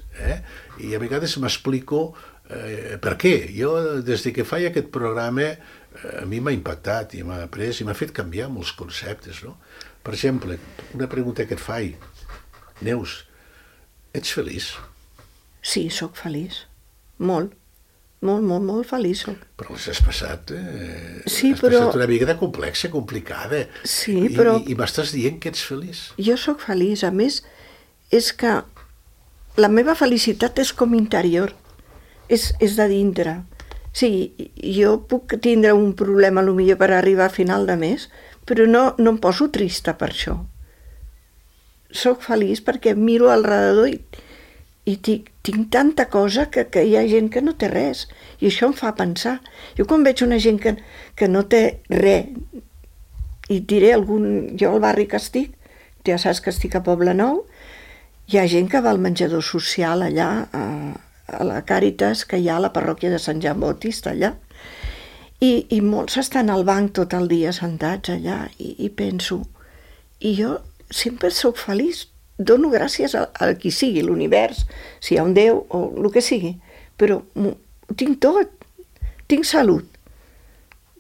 i a vegades m'explico per què. Jo, des que faig aquest programa, a mi m'ha impactat i m'ha après i m'ha fet canviar molts conceptes, no? Per exemple, una pregunta que et faig, Neus, ets feliç? Sí, sóc feliç. Molt. Molt feliç soc. Però les has passat, sí, has però... passat una vida complexa, complicada. Sí, però... I m'estàs dient que ets feliç. Jo sóc feliç. A més, és que la meva felicitat és com interior. És de dintre. Sí, jo puc tindre un problema potser per arribar a final de mes, però no em poso trista per això. Soc feliç perquè miro al redador i tinc tanta cosa que hi ha gent que no té res, i això em fa pensar. Jo quan veig una gent que no té res, i diré jo al barri que estic, ja saps que estic a Poblenou, hi ha gent que va al menjador social allà, a la Càritas, que hi ha a la parròquia de Sant Joan Bautista allà, i molts estan al banc tot el dia sentats allà, i penso, i jo sempre sóc feliç, dono gràcies a qui sigui, l'univers, si hi ha un Déu o el que sigui, però tinc tot, tinc salut,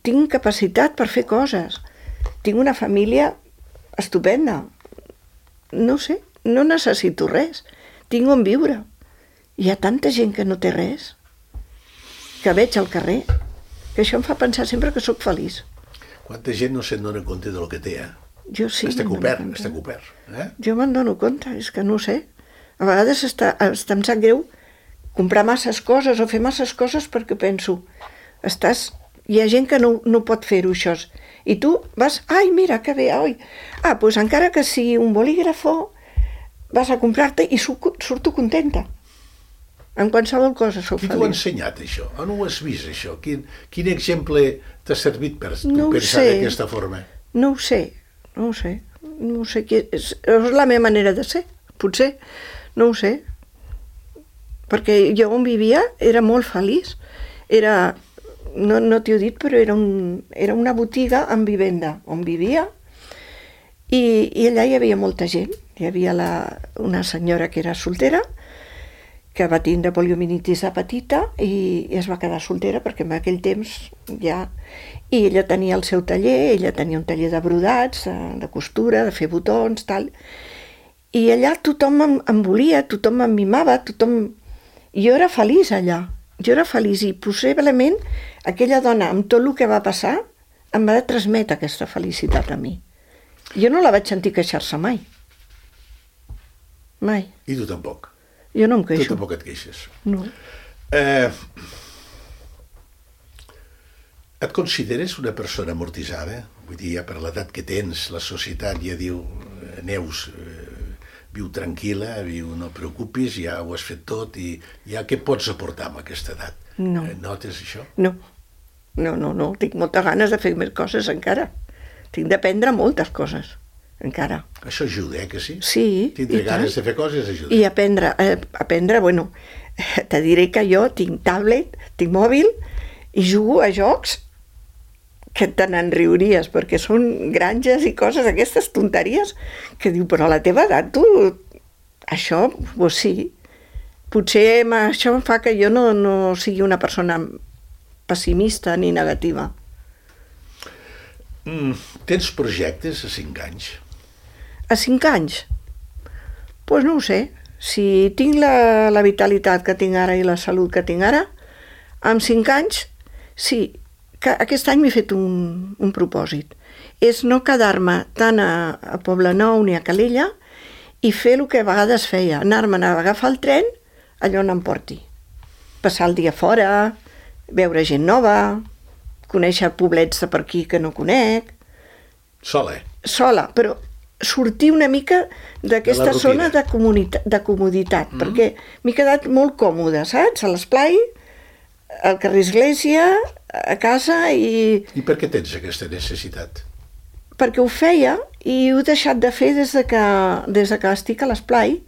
tinc capacitat per fer coses, tinc una família estupenda, no sé, no necessito res, tinc on viure. Hi ha tanta gent que no té res, que veig al carrer, que això em fa pensar sempre que sóc feliç. Quanta gent no se'n dona compte del que té, Jo sí. Està cobert. Jo me'n dono compte, és que no ho sé. A vegades em sap greu comprar masses coses o fer masses coses perquè penso, hi ha gent que no pot fer-ho, això. I tu vas, ai, mira, que bé, oi. Doncs encara que sigui un bolígrafo, vas a comprar-te i surto contenta. En qualsevol cosa sóc feliç. Qui t'ho ha ensenyat, això? On ho has vist, això? Quin exemple t'ha servit per pensar d'aquesta forma? No ho sé. És la meva manera de ser, potser. No ho sé. Perquè jo on vivia era molt feliç. No t'ho he dit, però era una botiga amb vivenda on vivia, i allà hi havia molta gent. Hi havia una senyora que era soltera, que va tindre poliomielitis de petita i es va quedar soltera perquè en aquell temps ja... I ella tenia el seu taller, ella tenia un taller de brodats, de costura, de fer botons, tal. I allà tothom em volia, tothom em mimava, Jo era feliç allà, i possiblement aquella dona, amb tot el que va passar, em va transmetre aquesta felicitat a mi. Jo no la vaig sentir queixar-se mai. Mai. I tu tampoc? Jo no em queixo. Tu tampoc et queixes? No. Et consideres una persona amortitzada? Vull dir, ja per l'edat que tens, la societat ja diu, Neus, viu tranquil·la, no et preocupis, ja ho has fet tot, i ja què pots aportar amb aquesta edat? No. Notes això? No, tinc moltes ganes de fer més coses encara. Tinc d'aprendre moltes coses, encara. Això ajuda, que sí? Sí. Tindre ganes de fer coses ajuda. I aprendre, bueno, te diré que jo tinc tablet, tinc mòbil, i jugo a jocs que te n'enriuries, perquè són granges i coses, aquestes tonteries, que diu, però a la teva edat tu, això, doncs sí. Potser això em fa que jo no sigui una persona pessimista ni negativa. Tens projectes a 5 anys? A 5 anys? Doncs no ho sé. Si tinc la vitalitat que tinc ara i la salut que tinc ara, amb 5 anys, sí, que aquest any m'he fet un propòsit. És no quedar-me tant a Poblenou ni a Calella i fer el que a vegades feia, anar-me'n a agafar el tren allà on em porti. Passar el dia fora, veure gent nova, conèixer poblets de per aquí que no conec. Sola? Sola, però sortir una mica d'aquesta zona de comoditat, perquè m'he quedat molt còmoda, saps? A l'esplai, al carrer Església, a casa i... I per què tens aquesta necessitat? perquè ho feia i ho he deixat de fer des de que estic a l'esplai.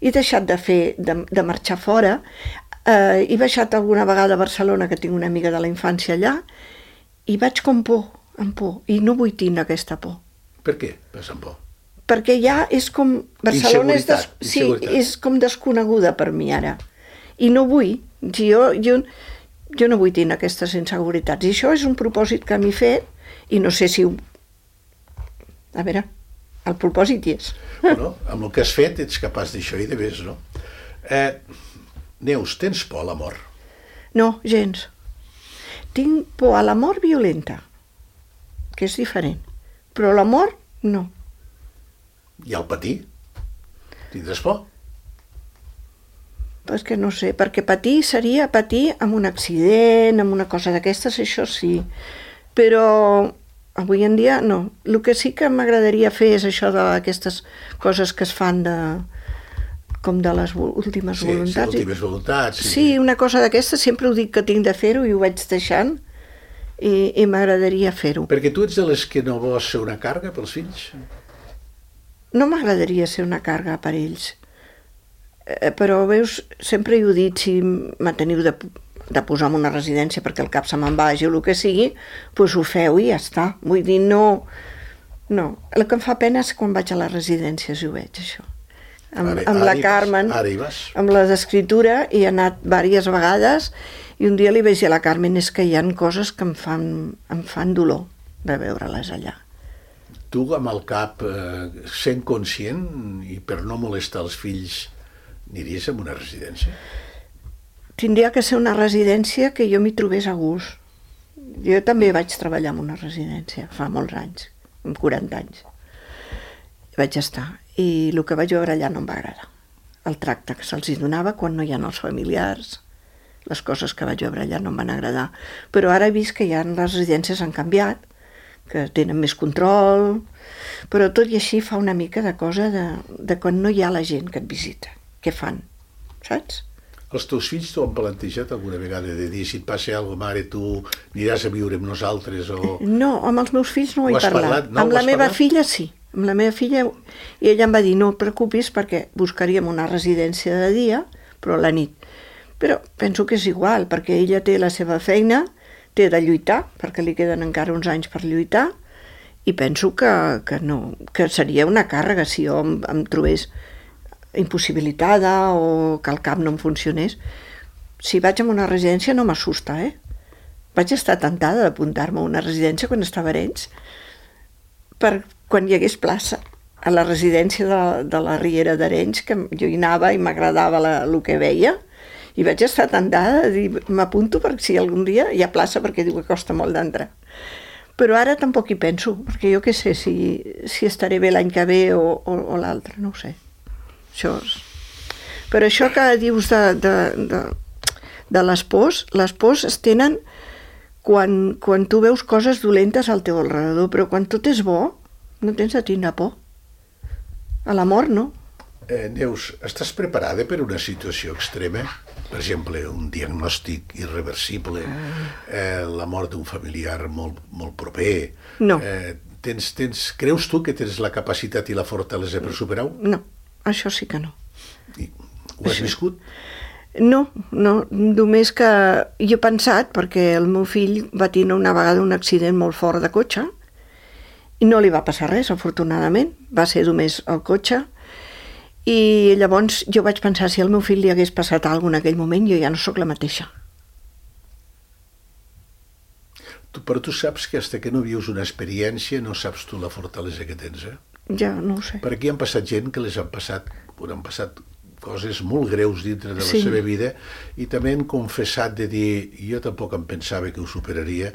He deixat de marxar fora. He baixat alguna vegada a Barcelona, que tinc una amiga de la infància allà, i vaig com amb por, i no vull tindre aquesta por. Per què vas amb por? Perquè ja és com... Barcelona Inseguretat. és com desconeguda per mi ara. I no vull. Jo no vull tindre aquestes inseguretats. I això és un propòsit que m'he fet, i no sé si... A veure, el propòsit hi és. Bueno, amb el que has fet ets capaç d'això i de més, no? Neus, tens por a la mort? No, gens. Tinc por a la mort violenta, que és diferent. Però la mort, no. I al patir? Tindràs por? És que no sé, perquè patir seria patir amb un accident, amb una cosa d'aquestes, això sí. Però avui en dia no. El que sí que m'agradaria fer és això d'aquestes coses que es fan com de les últimes voluntats. Sí, últimes voluntats. Sí, una cosa d'aquestes, sempre ho dic que tinc de fer-ho i ho vaig deixant i m'agradaria fer-ho. Perquè tu ets de les que no vols ser una càrrega pels fills? No m'agradaria ser una càrrega per ells. Però, veus, sempre he dit, si me teniu de posar en una residència perquè el cap se me'n vagi o el que sigui, doncs ho feu i ja està. Vull dir, no. El que em fa pena és quan vaig a les residències i ho veig, això. Amb la Carmen, amb la d'escriptura, hi he anat diverses vegades i un dia li vaig dir a la Carmen és que hi ha coses que em fan dolor de veure-les allà. Tu amb el cap sent conscient i per no molestar els fills aniries a una residència? Tindria que ser una residència que jo m'hi trobés a gust. Jo també vaig treballar en una residència fa molts anys, amb 40 anys. Vaig estar. I el que vaig veure allà no em va agradar. El tracte que se'ls donava quan no hi ha els familiars, les coses que vaig veure allà no em van agradar. Però ara he vist que ja les residències han canviat, que tenen més control, però tot i així fa una mica de cosa de quan no hi ha la gent que et visita. Què fan? Saps? Els teus fills t'ho han plantejat alguna vegada de dir si et passa alguna cosa, mare, tu aniràs a viure amb nosaltres o... No, amb els meus fills no ho he parlat. No, amb la meva filla sí. Amb la meva filla, i ella em va dir no et preocupis perquè buscaríem una residència de dia, però a la nit. Però penso que és igual, perquè ella té la seva feina, té de lluitar, perquè li queden encara uns anys per lluitar, i penso que no, que seria una càrrega si jo em trobés impossibilitada o que el cap no em funcionés. Si vaig a una residència no m'assusta, Vaig estar tentada d'apuntar-me a una residència quan estava a Arenys, per quan hi hagués plaça a la residència de la Riera d'Arenys, que jo hi anava i m'agradava el que veia, i vaig estar tentada de dir, m'apunto perquè si algun dia hi ha plaça, perquè diu que costa molt d'entrar. Però ara tampoc hi penso, perquè jo què sé si estaré bé l'any que ve o l'altre, no ho sé. Però això que dius de les pors es tenen quan tu veus coses dolentes al teu alrededor, però quan tot és bo, no tens de tindre por. A la mort, no. Neus, estàs preparada per una situació extrema? Per exemple, un diagnòstic irreversible, la mort d'un familiar molt, molt proper. No. Creus tu que tens la capacitat i la fortalesa per superar-ho? No, això sí que no. Ho has viscut? No, només que jo he pensat, perquè el meu fill va tenir una vegada un accident molt fort de cotxe i no li va passar res, afortunadament, va ser només el cotxe, i llavors jo vaig pensar si al meu fill li hagués passat alguna cosa en aquell moment, jo ja no sóc la mateixa. Però tu saps que fins que no vius una experiència no saps tu la fortalesa que tens, Ja, no ho sé. Per aquí han passat gent que han passat coses molt greus dintre de la seva vida i també han confessat de dir jo tampoc em pensava que ho superaria,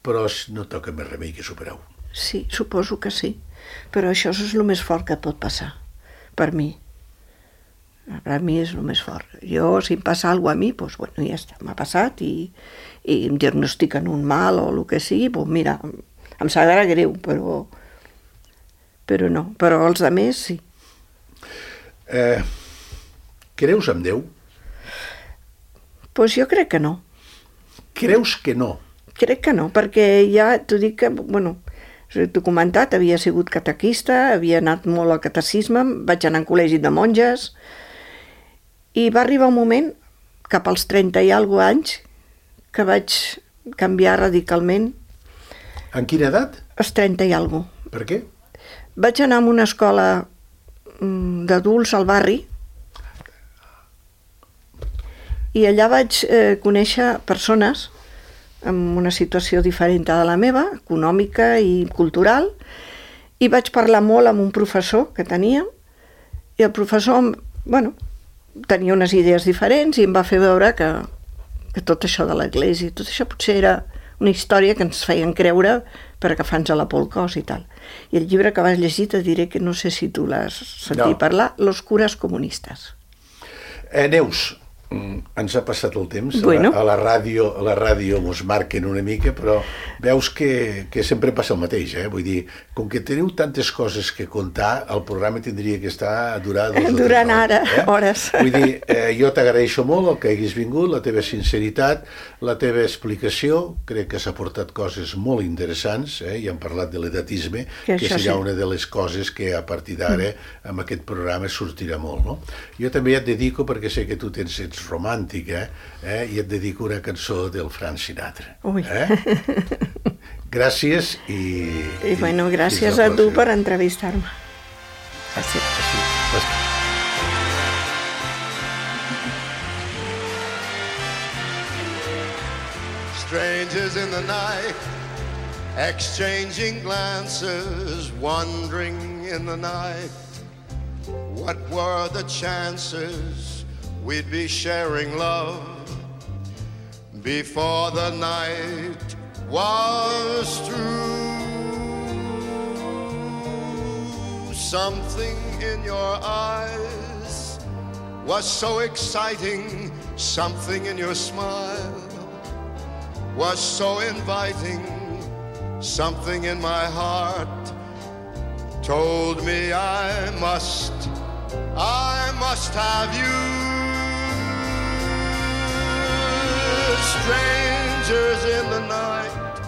però no toca més remei que superar-ho. Sí, suposo que sí, però això és el més fort que pot passar, per mi. Per mi és el més fort. Jo, si em passa alguna cosa a mi, doncs, bueno, ja està, m'ha passat i em diagnostiquen un mal o el que sigui, doncs mira, em sabrà greu, però no. Però els altres sí. Creus en Déu? Doncs jo crec que no. Creus que no? Crec que no, perquè ja t'ho dic que, bueno, T'ho he comentat, havia sigut catequista, havia anat molt al catecisme, vaig anar a un col·legi de monges, i va arribar un moment, cap als 30 i alguna anys, que vaig canviar radicalment. En quina edat? Als 30 i alguna. Per què? Vaig anar a una escola d'adults al barri, i allà vaig conèixer persones amb una situació diferent de la meva, econòmica i cultural, i vaig parlar molt amb un professor que tenia, i el professor, tenia unes idees diferents i em va fer veure que tot això de l'Església, tot això potser era una història que ens feien creure per agafar-nos a la por el cos i tal. I el llibre que vas llegir te diré que no sé si tu l'has sentit parlar, Los curas comunistas. Neus, ens ha passat el temps, a la ràdio mos marquen una mica, però veus que sempre passa el mateix, vull dir, com que teniu tantes coses que contar, el programa tindria que estar durar 2 o 3 hores. Hores. Vull dir, jo t'agraeixo molt el que haguis vingut, la teva sinceritat, la teva explicació, crec que s'ha portat coses molt interessants, i hem parlat de l'edatisme, que serà una de les coses que a partir d'ara amb aquest programa sortirà molt, no? Jo també et dedico, perquè sé que tu ets romàntica, i et dedico una cançó del Frank Sinatra. Gràcies i gràcies a tu per entrevistar-me. Gràcies. Strangers in the night, exchanging glances, wandering in the night. What were the chances we'd be sharing love before the night was through? Something in your eyes was so exciting, something in your smile was so inviting, something in my heart told me I must have you. Strangers in the night,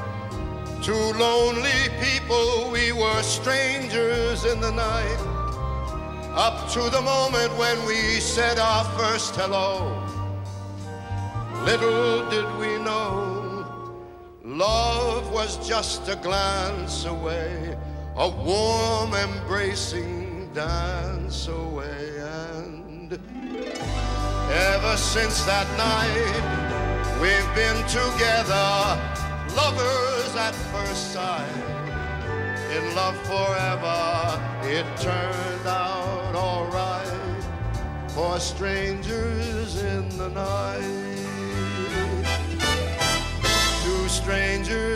two lonely people, we were strangers in the night, up to the moment when we said our first hello. Little did we know, love was just a glance away, a warm embracing dance away. And ever since that night, we've been together, lovers at first sight, in love forever. It turned out all right for strangers in the night. Two strangers